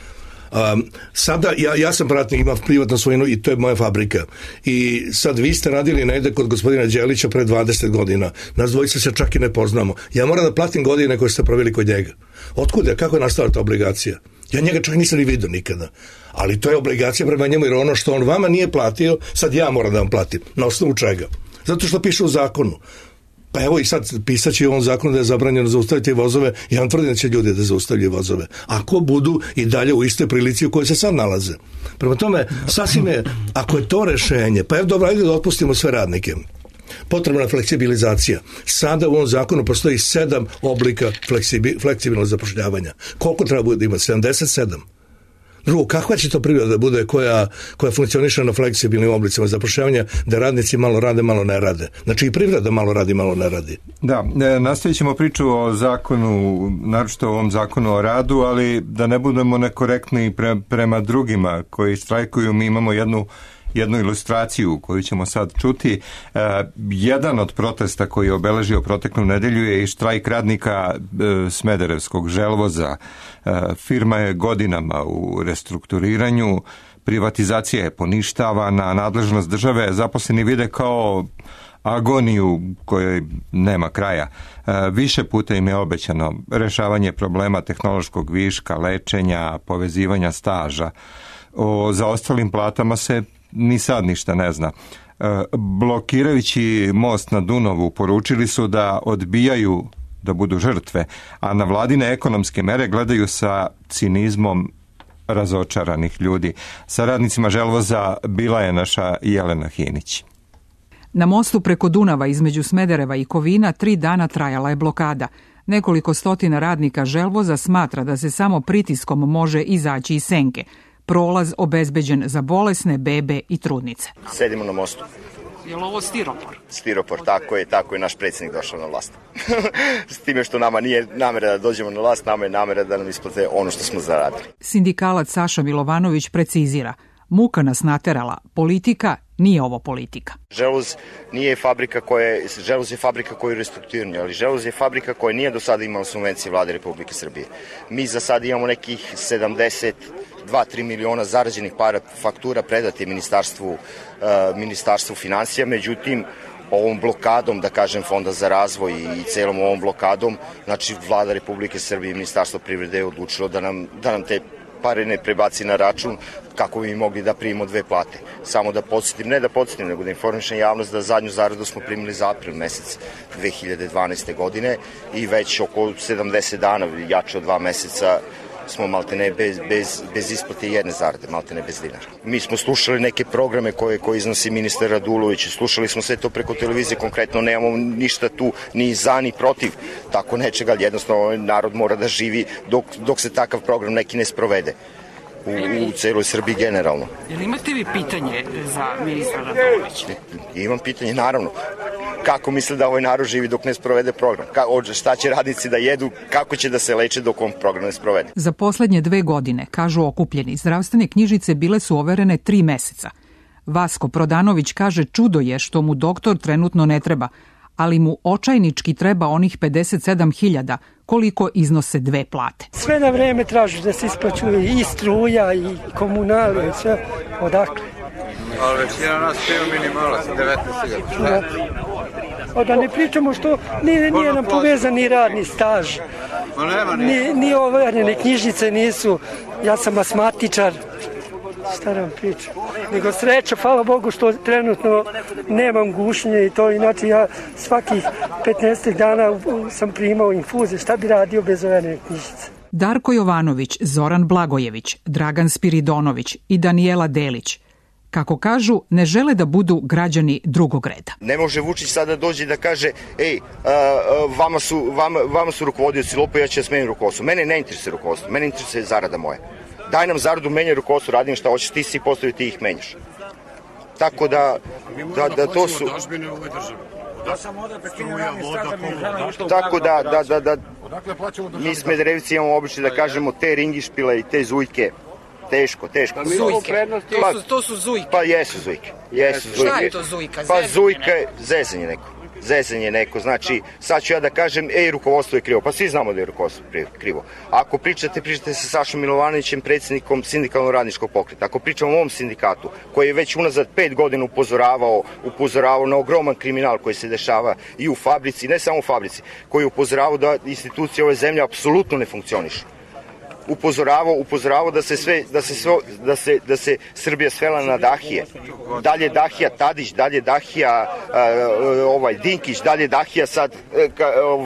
Speaker 7: Um, sada, ja, ja sam pratnik, imam privatnu svojinu i to je moja fabrika. I sad vi ste radili negde kod gospodina Đelića pre dvadeset godina. Nas dvojice se čak i ne poznamo. Ja moram da platim godine koje ste proveli kod njega. Otkud je? Kako je nastala ta obligacija? Ja njega čak nisam ni vidio nikada. Ali to je obligacija prema njemu, jer ono što on vama nije platio, sad ja moram da vam platim. Na osnovu čega? Zato što piše u zakonu. Pa evo i sad pisaći u ovom zakonu da je zabranjeno zaustaviti vozove, ja vam tvrdim da će ljudi da zaustavljaju vozove. Ako budu i dalje u istoj prilici u kojoj se sad nalaze. Prema tome, sasvim je, ako je to rešenje, pa evo dobro, ajde da otpustimo sve radnike. Potrebna je fleksibilizacija. Sada u ovom zakonu postoji sedam oblika fleksibi, fleksibilnog zapošljavanja. Koliko treba bude imati? sedamdeset sedam. Drugo, kakva će to priroda da bude koja, koja funkcioniše na fleksibilnim oblicima zapošljavanja, da radnici malo rade, malo ne rade? Znači i privreda malo radi, malo ne radi.
Speaker 2: Da, nastavit ćemo priču o zakonu, naročito o ovom zakonu o radu, ali da ne budemo nekorektni pre, prema drugima koji štrajkuju. Mi imamo jednu jednu ilustraciju koju ćemo sad čuti. E, jedan od protesta koji je obeležio proteklu nedelju je i štrajk radnika e, Smederevskog želvoza. E, firma je godinama u restrukturiranju, privatizacija je poništavana, nadležnost države zaposleni vide kao agoniju kojoj nema kraja. E, više puta im je obećano rešavanje problema tehnološkog viška, lečenja, povezivanja staža. O zaostalim platama se ni sad ništa ne zna. E, blokirajući most na Dunavu poručili su da odbijaju da budu žrtve, a na vladine ekonomske mere gledaju sa cinizmom razočaranih ljudi. Sa radnicima želvoza bila je naša Jelena Hinić.
Speaker 9: Na mostu preko Dunava između Smedereva i Kovina tri dana trajala je blokada. Nekoliko stotina radnika želvoza smatra da se samo pritiskom može izaći iz senke. Prolaz obezbeđen za bolesne, bebe i trudnice.
Speaker 10: Sedimo na mostu.
Speaker 9: Je li ovo stiropor?
Speaker 10: Stiropor, tako je, tako je naš predsjednik došao na vlast. S time što nama nije namera da dođemo na vlast, nama je namera da nam isplate ono što smo zaradili.
Speaker 9: Sindikalac Saša Milovanović precizira: muka nas naterala, politika nije ovo politika.
Speaker 10: Želvoz nije fabrika koja je, Želvoz je fabrika koja je restrukturirana, ali Želvoz je fabrika koja nije do sada imala subvencije vlade Republike Srbije. Mi za sad imamo nekih sedamdeset dva do tri miliona zarađenih para faktura predati ministarstvu, uh, ministarstvu financija, međutim ovom blokadom, da kažem, Fonda za razvoj i celom ovom blokadom, znači vlada Republike Srbije i ministarstvo privrede je odlučilo da nam, da nam te pare ne prebaci na račun kako bi mogli da primimo dve plate. Samo da podsjetim, ne da podsjetim, nego da informišem javnost da zadnju zaradu smo primili za april mesec dve hiljade dvanaeste godine i već oko sedamdeset dana, jače od dva meseca, smo maltene bez, bez, bez isplate jedne zarade, maltene bez dinara. Mi smo slušali neke programe koje, koje iznosi ministar Radulović, slušali smo sve to preko televizije, konkretno nemamo ništa tu ni za ni protiv tako nečega, ali jednostavno narod mora da živi dok, dok se takav program neki ne sprovede u, u celoj Srbiji generalno.
Speaker 9: Jel imate vi pitanje za ministra Radulovića?
Speaker 10: Imam pitanje, naravno. Kako misle da ovaj narod živi dok ne sprovede program? Ka, šta će radnici da jedu, kako će da se leče dok on program ne sprovede?
Speaker 9: Za poslednje dve godine, kažu okupljeni, zdravstvene knjižice bile su overene tri meseca. Vasko Prodanović kaže čudo je što mu doktor trenutno ne treba, ali mu očajnički treba onih pedeset sedam hiljada koliko iznose dve plate.
Speaker 11: Sve na vreme traži da se isplaćuje i struja i komunalije, sve odakle.
Speaker 12: Ali većina nas piju minimalac, devetnaest hiljada.
Speaker 11: A da ne pričamo što nije, nije nam povezan ni radni staž, ni, ni overene knjižice nisu, ja sam asmatičar, šta nam pričam, nego sreća, hvala Bogu što trenutno nemam gušnje i to, inače ja svakih petnaest dana sam primao infuze, šta bi radio bez overene knjižice.
Speaker 9: Darko Jovanović, Zoran Blagojević, Dragan Spiridonović i Danijela Delić, kako kažu, ne žele da budu građani drugog reda.
Speaker 10: Ne može Vučić sada dođe da kaže, ej, a, a, vama, su, vama, vama su rukovodioci lopo, ja ću da smenim rukovodstvo. Mene ne interesuje rukovodstvo, mene interesuje zarada moja. Daj nam zaradu, menjaj rukovodstvo, radim šta hoćeš, ti si postavio, ti ih menjaš. Tako da, da, da to su... Tako da, da, da, da, mi Smederevci imamo običaj da kažemo te ringišpile i te zujke. Teško, teško.
Speaker 9: Zujke. To
Speaker 10: pa,
Speaker 9: su, to su zujke.
Speaker 10: Pa jesu zujke. Jesu zujke.
Speaker 9: Šta je to zujka?
Speaker 10: Pa zujka je zezanje neko. zezanje neko, znači sad ću ja da kažem, ej, rukovodstvo je krivo, pa svi znamo da je rukovodstvo krivo. Ako pričate, pričate sa Sašom Milovanovićem, predsjednikom sindikalno-radničkog pokreta. Ako pričamo o ovom sindikatu, koji je već unazad pet godina upozoravao, upozoravao na ogroman kriminal koji se dešava i u fabrici, ne samo u fabrici, koji je upozoravao da institucije ove zemlje apsolutno ne funkcionišu. Upozoravao, upozoravao da se sve da se sve da se da se Srbija svela na Dahije. Dalje Dahija Tadić, dalje Dahija ovaj Dinkić, dalje Dahija sad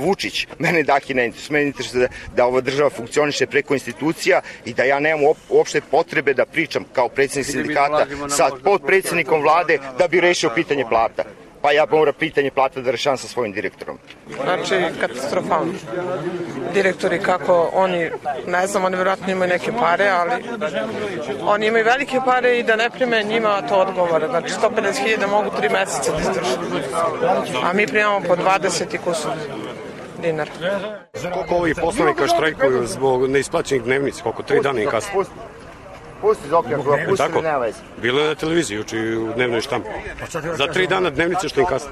Speaker 10: Vučić. Mene Dahija ne interesuje, mene interesuje da, da ova država funkcioniše preko institucija i da ja nemam uopšte potrebe da pričam kao predsjednik sindikata sa potpredsjednikom vlade da bi rešio pitanje plata. Pa ja moram pitanje plata da rešavam sa svojim direktorom.
Speaker 13: Znači, katastrofalno. Direktori kako oni, ne znam, oni vjerojatno imaju neke pare, ali oni imaju velike pare i da ne prime njima to odgovara. Znači, sto pedeset hiljada mogu tri meseca da izdrži. A mi primamo po dvadeset i kusur dinara.
Speaker 14: Koliko ovih poslovnika štrajkuju zbog neisplaćenih dnevnica? Koliko? Tri dana i kasno?
Speaker 10: Pusti Zokija, koja pusti
Speaker 14: tako,
Speaker 10: ne veze.
Speaker 14: Bilo je na televiziji juče u dnevnoj štampi. Za tri dana dnevnice što im kasno.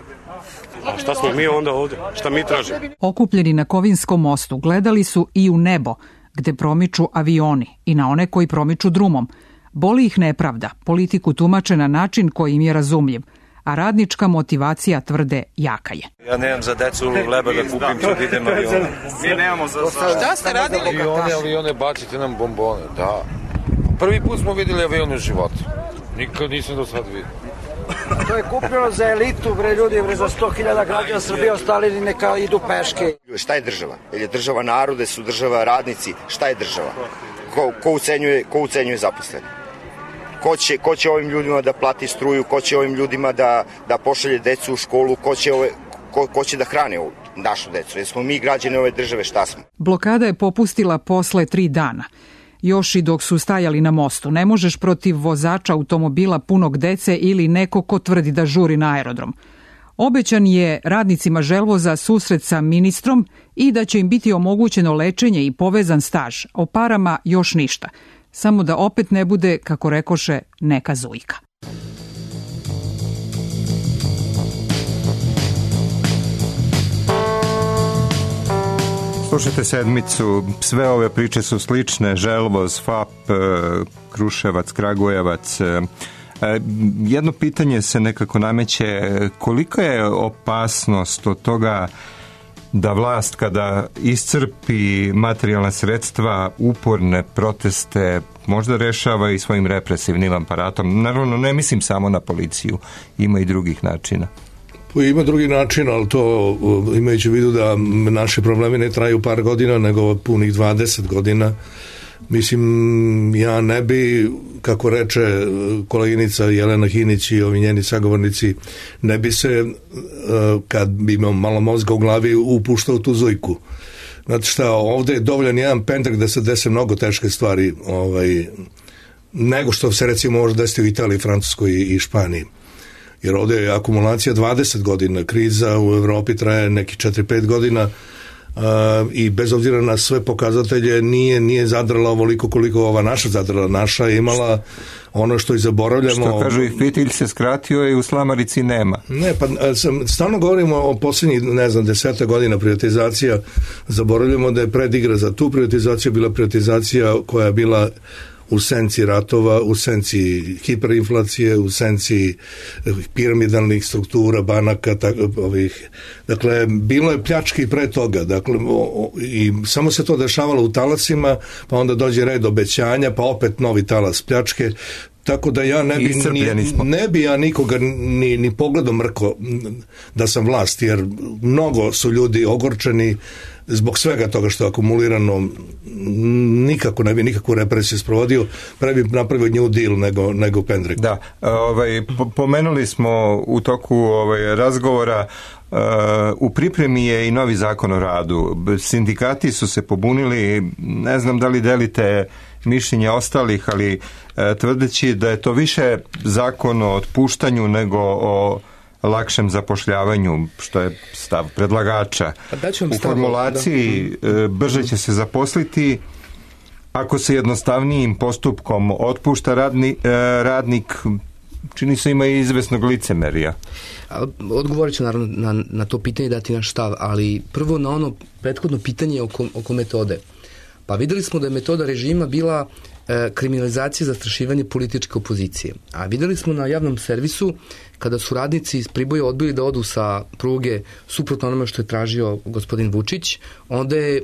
Speaker 14: A šta smo mi onda ovde? Šta mi tražimo?
Speaker 9: Okupljeni na Kovinskom mostu gledali su i u nebo, gde promiču avioni, i na one koji promiču drumom. Boli ih nepravda, politiku tumače na način koji im je razumljiv, a radnička motivacija, tvrde, jaka je.
Speaker 15: Ja nemam za decu leba da kupim kad idem avion.
Speaker 12: Mi nemamo za...
Speaker 13: Šta ste radili?
Speaker 15: Avione, avione, bacite nam bombone, da. Prvi put smo videli avion u životu. Nikad nisam do sad vidio.
Speaker 16: To je kupljeno za elitu, bre ljudi, bre za sto hiljada građana Srbije, ostali neka idu peške.
Speaker 10: Šta je država? Jer je država narode, su država radnici. Šta je država? Ko, ko ucenjuje, ko ucenjuje zaposlene? Ko će, ko će ovim ljudima da plati struju? Ko će ovim ljudima da, da pošalje decu u školu? Ko će, ove, ko, ko će da hrane ovu našu decu? Jer smo mi građani ove države, šta smo?
Speaker 9: Blokada je popustila posle tri dana. Još i dok su stajali na mostu, ne možeš protiv vozača automobila punog dece ili neko ko tvrdi da žuri na aerodrom. Obećan je radnicima Želvoza susret sa ministrom i da će im biti omogućeno lečenje i povezan staž. O parama još ništa. Samo da opet ne bude, kako rekoše, neka zujka.
Speaker 2: Slušajte Sedmicu, sve ove priče su slične, Želvoz, F A P, Kruševac, Kragujevac. Jedno pitanje se nekako nameće, kolika je opasnost od toga da vlast kada iscrpi materijalna sredstva, uporne proteste, možda rešava i svojim represivnim aparatom. Naravno, ne mislim samo na policiju, ima i drugih načina.
Speaker 7: Ima drugi način, ali to imajući u vidu da naši problemi ne traju par godina, nego punih dvadeset godina. Mislim, ja ne bi, kako reče koleginica Jelena Hinić i ovi njeni sagovornici, ne bi se, kad bi imao malo mozga u glavi, upuštao tu zujku. Znate šta, ovde je dovoljan jedan pendrek da se dese mnogo teške stvari, ovaj, nego što se recimo može desiti u Italiji, Francuskoj i Španiji. Jer ovde je akumulacija dvadeset godina, kriza u Evropi traje neki četiri pet godina uh, i bez obzira na sve pokazatelje nije, nije zadrala ovoliko koliko ova naša zadrala. Naša je imala ono što i zaboravljamo.
Speaker 2: Što kažu, ih fitilj se skratio i u slamarici nema.
Speaker 7: Ne, pa stalno govorimo o posljednjih, ne znam, deseta godina privatizacija, zaboravljamo da je predigra za tu privatizaciju bila privatizacija koja je bila u senci ratova, u senci hiperinflacije, u senci piramidalnih struktura, banaka, tak, ovih. Dakle, bilo je pljački pre toga. Dakle, o, i samo se to dešavalo u talacima, pa onda dođe red obećanja, pa opet novi talas pljačke. Tako da ja ne bi, ni, ne bi ja nikoga ni, ni pogledom mrko da sam vlast, jer mnogo su ljudi ogorčeni zbog svega toga što je akumulirano. Nikako ne bi nikakvu represiju sprovodio, pre bi napravio New Deal nego, nego pendrek.
Speaker 2: Da, ovaj, pomenuli smo u toku ovaj, razgovora, uh, u pripremi je i novi zakon o radu. Sindikati su se pobunili, ne znam da li delite mišljenja ostalih, ali uh, tvrdeći da je to više zakon o otpuštanju nego o lakšem zapošljavanju, što je stav predlagača. U formulaciji da. brže će se zaposliti ako se jednostavnijim postupkom otpušta radni, radnik. čini se ima i izvesnog licemerija.
Speaker 8: Odgovorit ću naravno na, na to pitanje, dati naš stav, ali prvo na ono prethodno pitanje oko, oko metode. Pa videli smo da je metoda režima bila e, kriminalizacija, zastrašivanje političke opozicije. A videli smo na javnom servisu kada su radnici iz Priboja odbili da odu sa pruge suprotno onome što je tražio gospodin Vučić, onda je e,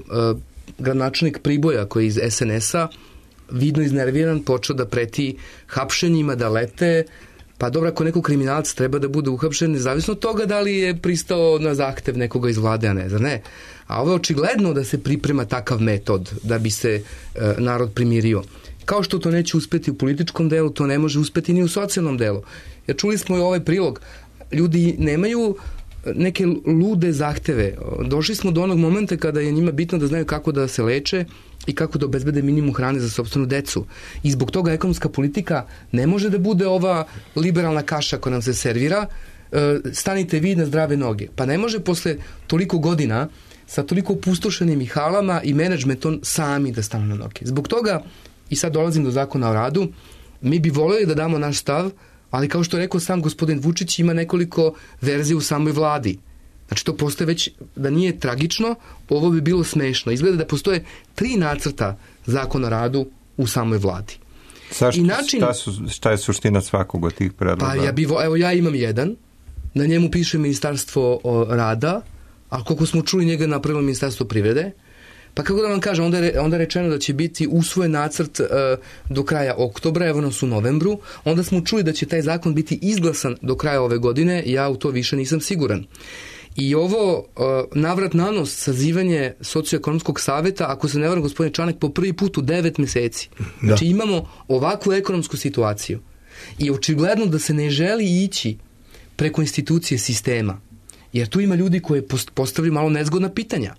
Speaker 8: gradonačelnik Priboja koji je iz es en es-a vidno iznerviran počeo da preti hapšenjima, da lete. Pa dobro, ako neko kriminalac treba da bude uhapšen, nezavisno od toga da li je pristao na zahtev nekoga iz vlade, a ne, zar ne? A ovo je očigledno da se priprema takav metod da bi se e, narod primirio. Kao što to neće uspeti u političkom delu, to ne može uspeti ni u socijalnom delu. Jer čuli smo i ovaj prilog, ljudi nemaju neke lude zahteve. Došli smo do onog momenta kada je njima bitno da znaju kako da se leče i kako da obezbede minimum hrane za sopstvenu decu. I zbog toga ekonomska politika ne može da bude ova liberalna kaša koja nam se servira, stanite vi na zdrave noge. Pa ne može posle toliko godina sa toliko opustošenim i halama i menadžmentom sami da stanu na noge. Zbog toga, i sad dolazim do zakona o radu, mi bi voljeli da damo naš stav, ali kao što je rekao sam gospodin Vučić, ima nekoliko verzija u samoj vladi. Znači to postoje već, da nije tragično, ovo bi bilo smešno. Izgleda da postoje tri nacrta zakona o radu u samoj vladi.
Speaker 2: Sa šta, način, šta, su, šta je suština svakog od tih predloga?
Speaker 8: Pa ja bi, evo ja imam jedan, na njemu piše Ministarstvo rada, a koliko smo čuli njega napravilo Ministarstvo privrede, pa kako da vam kažem, onda je, onda je rečeno da će biti usvojen nacrt uh, do kraja oktobra, evo nas u novembru, onda smo čuli da će taj zakon biti izglasan do kraja ove godine, ja u to više nisam siguran. I ovo uh, navrat na nos sazivanje socioekonomskog saveta, ako se ne varam gospodin Čanak, po prvi put u devet meseci. Da. Znači imamo ovakvu ekonomsku situaciju. I očigledno da se ne želi ići preko institucije sistema, jer tu ima ljudi koji postavljaju malo nezgodna pitanja.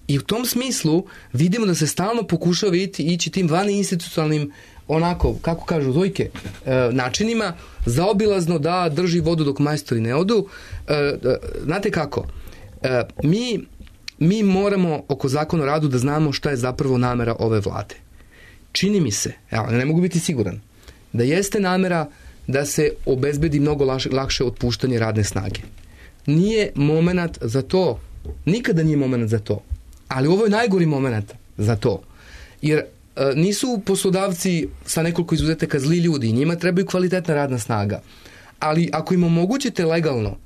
Speaker 8: I u tom smislu vidimo da se stalno pokušava ići, ići tim vaninstitucionalnim, onako, kako kažu dojke, e, načinima, zaobilazno da drži vodu dok majstori ne odu. E, e, znate kako? E, mi, mi moramo oko zakona o radu da znamo šta je zapravo namera ove vlade. Čini mi se, evo, ne mogu biti siguran, da jeste namera da se obezbedi mnogo lakše, lakše otpuštanje radne snage. Nije moment za to, nikada nije moment za to. Ali ovo je najgori moment za to. Jer e, nisu poslodavci sa nekoliko izuzetaka zli ljudi, njima trebaju kvalitetna radna snaga. Ali ako im omogućite legalno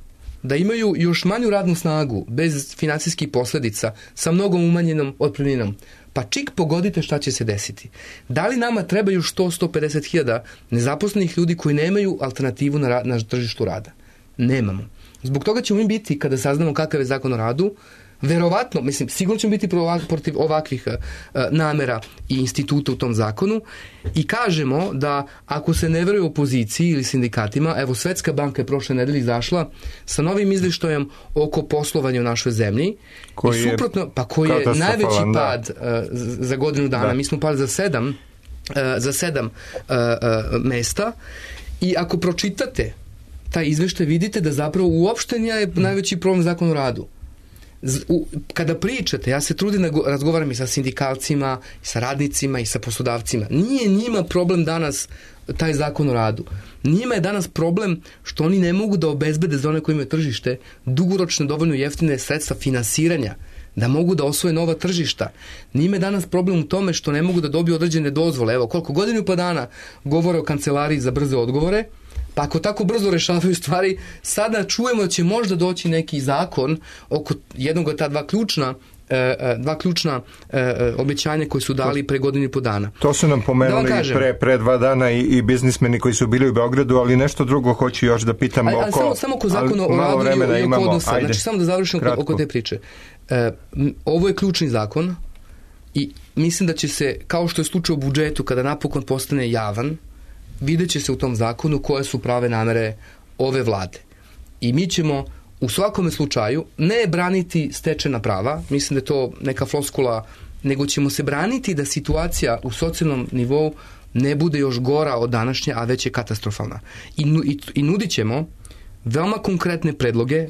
Speaker 8: da imaju još manju radnu snagu, bez finansijskih posledica, sa mnogom umanjenom otpremninom, pa čik pogodite šta će se desiti. Da li nama treba još sto do sto pedeset hiljada nezaposlenih ljudi koji nemaju alternativu na, ra- na tržištu rada? Nemamo. Zbog toga ćemo mi biti, kada saznamo kakav je zakon o radu, verovatno, mislim, sigurno ćemo biti protiv ovakvih uh, namera i instituta u tom zakonu i kažemo da ako se ne veruje opoziciji ili sindikatima, evo Svetska banka je prošle nedelje izašla sa novim izveštajem oko poslovanja u našoj zemlji koji i suprotno, pa koji je najveći da. pad uh, za godinu dana, da. Mi smo pali za sedam uh, za sedam uh, uh, mesta i ako pročitate taj izveštaj vidite da zapravo uopšte nije najveći problem zakon o radu. Kada pričate, ja se trudim da razgovaram i sa sindikalcima, i sa radnicima, i sa poslodavcima. Nije njima problem danas taj zakon o radu. Njima je danas problem što oni ne mogu da obezbede za one koji imaju tržište dugoročno dovoljno jeftine sredstva finansiranja, da mogu da osvoje nova tržišta. Njima je danas problem u tome što ne mogu da dobiju određene dozvole. Evo, koliko godinu pa dana govore o kancelariji za brze odgovore, pa ako tako brzo rešavaju stvari, sada čujemo da će možda doći neki zakon oko jednog od ta dva ključna dva ključna obećanja koje su dali pre godinu i po dana.
Speaker 2: To su nam pomenuli da pre, pre dva dana i, i biznismeni koji su bili u Beogradu, ali nešto drugo hoću još da pitam ali, oko... Ali samo, samo oko zakona o radu i oko odnosa. Ajde, znači samo da završim oko, oko te priče. E, ovo je ključni zakon i mislim da će se, kao što je slučaj u budžetu, kada napokon postane javan, vidjet će se u tom zakonu koje su prave namere ove vlade. I mi ćemo u svakome slučaju ne braniti stečena prava, mislim da je to neka floskula, nego ćemo se braniti da situacija u socijalnom nivou ne bude još gora od današnje, a već je katastrofalna. I, i, i nudit ćemo veoma konkretne predloge,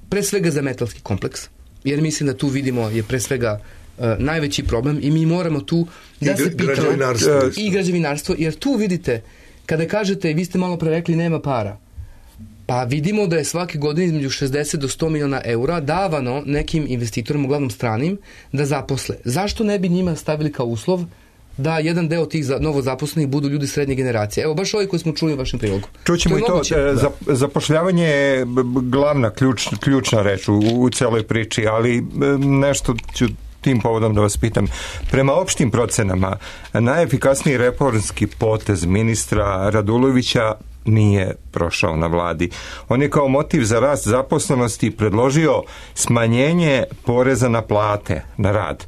Speaker 2: pre svega za metalski kompleks, jer mislim da tu vidimo je pre svega uh, najveći problem i mi moramo tu da I se pitamo
Speaker 7: građevinarstvo.
Speaker 8: i građevinarstvo, jer tu vidite Kada kažete, vi ste malo pre rekli, nema para, pa vidimo da je svake godine između šezdeset do sto miliona eura davano nekim investitorima, uglavnom stranim, da zaposle. Zašto ne bi njima stavili kao uslov da jedan deo tih novo zaposlenih budu ljudi srednje generacije? Evo, baš ovi koji smo čuli u vašem prilogu.
Speaker 2: Čućemo i to, za, zapošljavanje je glavna ključ, ključna reč u, u celoj priči, ali nešto ću tim povodom da vas pitam. Prema opštim procenama, najefikasniji reformski potez ministra Radulovića nije prošao na vladi. On je kao motiv za rast zaposlenosti predložio smanjenje poreza na plate, na rad.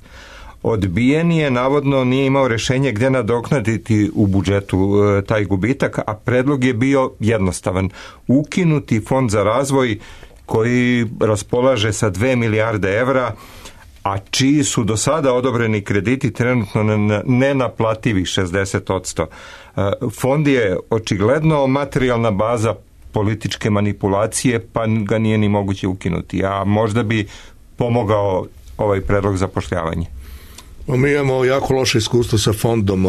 Speaker 2: Odbijen je, navodno nije imao rešenje gde nadoknaditi u budžetu e, taj gubitak, a predlog je bio jednostavan. Ukinuti fond za razvoj koji raspolaže sa dve milijarde evra, a čiji su do sada odobreni krediti trenutno nenaplativi šezdeset odsto. Fond je očigledno materijalna baza političke manipulacije, pa ga nije ni moguće ukinuti, a možda bi pomogao ovaj predlog zapošljavanja.
Speaker 7: Mi imamo jako loše iskustvo sa fondom.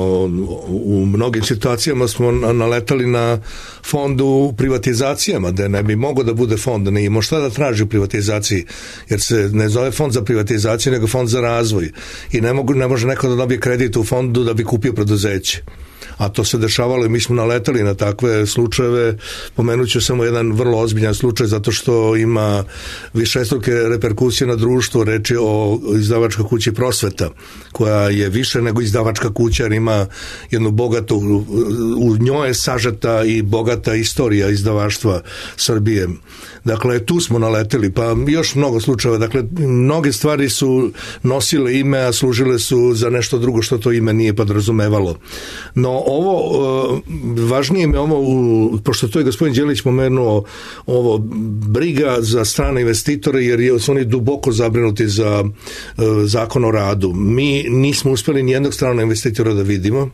Speaker 7: U mnogim situacijama smo naletali na fond u privatizacijama, da ne bi mogao da bude fond, ne imamo šta da traži u privatizaciji, jer se ne zove fond za privatizaciju, nego fond za razvoj. I ne, mogu, ne može neko da dobije kredit u fondu da bi kupio preduzeće. A to se dešavalo i mi smo naletali na takve slučajeve. Pomenut ću samo jedan vrlo ozbiljan slučaj zato što ima višestruke reperkusije na društvo. Reč je o izdavačkoj kući Prosveta, koja je više nego izdavačka kuća, jer ima jednu bogatu, u njoj je sažeta i bogata istorija izdavaštva Srbije. Dakle, tu smo naleteli, pa još mnogo slučajeva. Dakle, mnoge stvari su nosile ime, a služile su za nešto drugo što to ime nije podrazumevalo. No, ovo, važnije mi ovo, pošto to je gospodin Đelić pomenuo, ovo briga za strane investitore, jer su oni duboko zabrinuti za zakon o radu. Mi nismo uspeli nijednog stranog investitora da vidimo,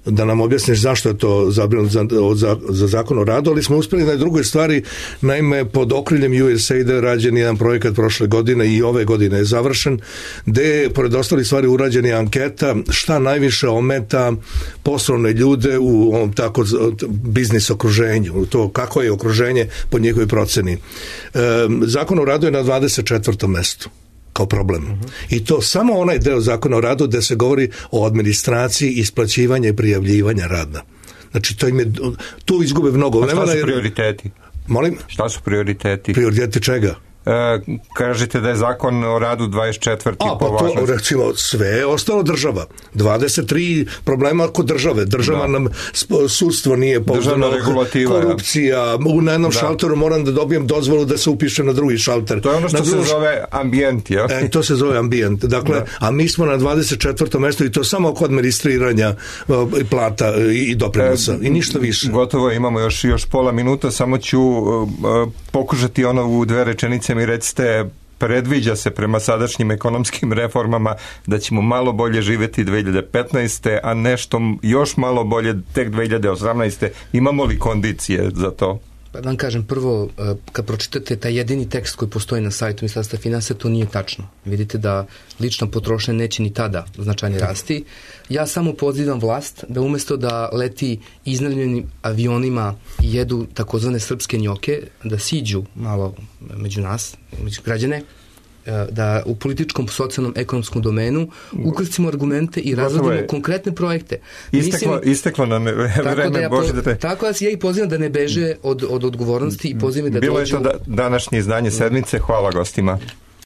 Speaker 7: da nam objasniš zašto je to zabrinut za, za, za zakon o radu, ali smo uspeli na drugoj stvari. Naime, pod okriljem U S A I D rađen jedan projekat prošle godine i ove godine je završen, gde je pored ostali stvari urađena anketa šta najviše ometa poslovne ljude u ovom tako biznis okruženju, to kako je okruženje po njihovoj proceni. E, zakon o radu je na dvadeset četvrtom mestu kao problem. Uh-huh. I to samo onaj deo zakona o radu gde se govori o administraciji, isplaćivanja i prijavljivanja rada. Znači, to im je, tu izgube mnogo vremena.
Speaker 2: A šta su prioriteti?
Speaker 7: Molim?
Speaker 2: Šta su prioriteti?
Speaker 7: Prioriteti čega?
Speaker 2: E, kažete da je zakon o radu dvadeset četvrti
Speaker 7: A, pa to, recimo, sve je ostalo država. dvadeset tri problema kod države. Država da. Nam, sudstvo nije pouzdano, korupcija, u na jednom da. šalteru moram da dobijem dozvolu da se upišem na drugi šalter.
Speaker 2: To je ono što
Speaker 7: na
Speaker 2: se druž... zove ambijent, ja?
Speaker 7: E, to se zove ambijent. Dakle, da. A mi smo na dvadeset četvrtom mestu i to samo oko administriranja plata i doprinosa. E, I ništa više.
Speaker 2: Gotovo, imamo još, još pola minuta, samo ću uh, pokušati ono u dve rečenice mi recite, predviđa se prema sadašnjim ekonomskim reformama da ćemo malo bolje živjeti dve hiljade petnaeste. a nešto još malo bolje tek dve hiljade osamnaeste. Imamo li kondicije za to?
Speaker 8: Pa da vam kažem, prvo, kad pročitate taj jedini tekst koji postoji na sajtu Ministarstva finansija, to nije tačno. Vidite da lična potrošnja neće ni tada značajno rasti. Ja samo pozivam vlast da umesto da leti iznajmljenim avionima i jedu takozvane srpske njoke, da siđu malo među nas, među građane, da u političkom, socijalnom, ekonomskom domenu ukrstimo argumente i razvodimo konkretne projekte.
Speaker 2: Isteklo, Mislim, isteklo nam vreme,
Speaker 8: da ja
Speaker 2: Bože da te...
Speaker 8: Tako da ja i pozivam da ne beže od, od odgovornosti i pozivam da
Speaker 2: Bilo
Speaker 8: dođu...
Speaker 2: Bilo je to da, današnje izdanje sedmice. Hvala gostima.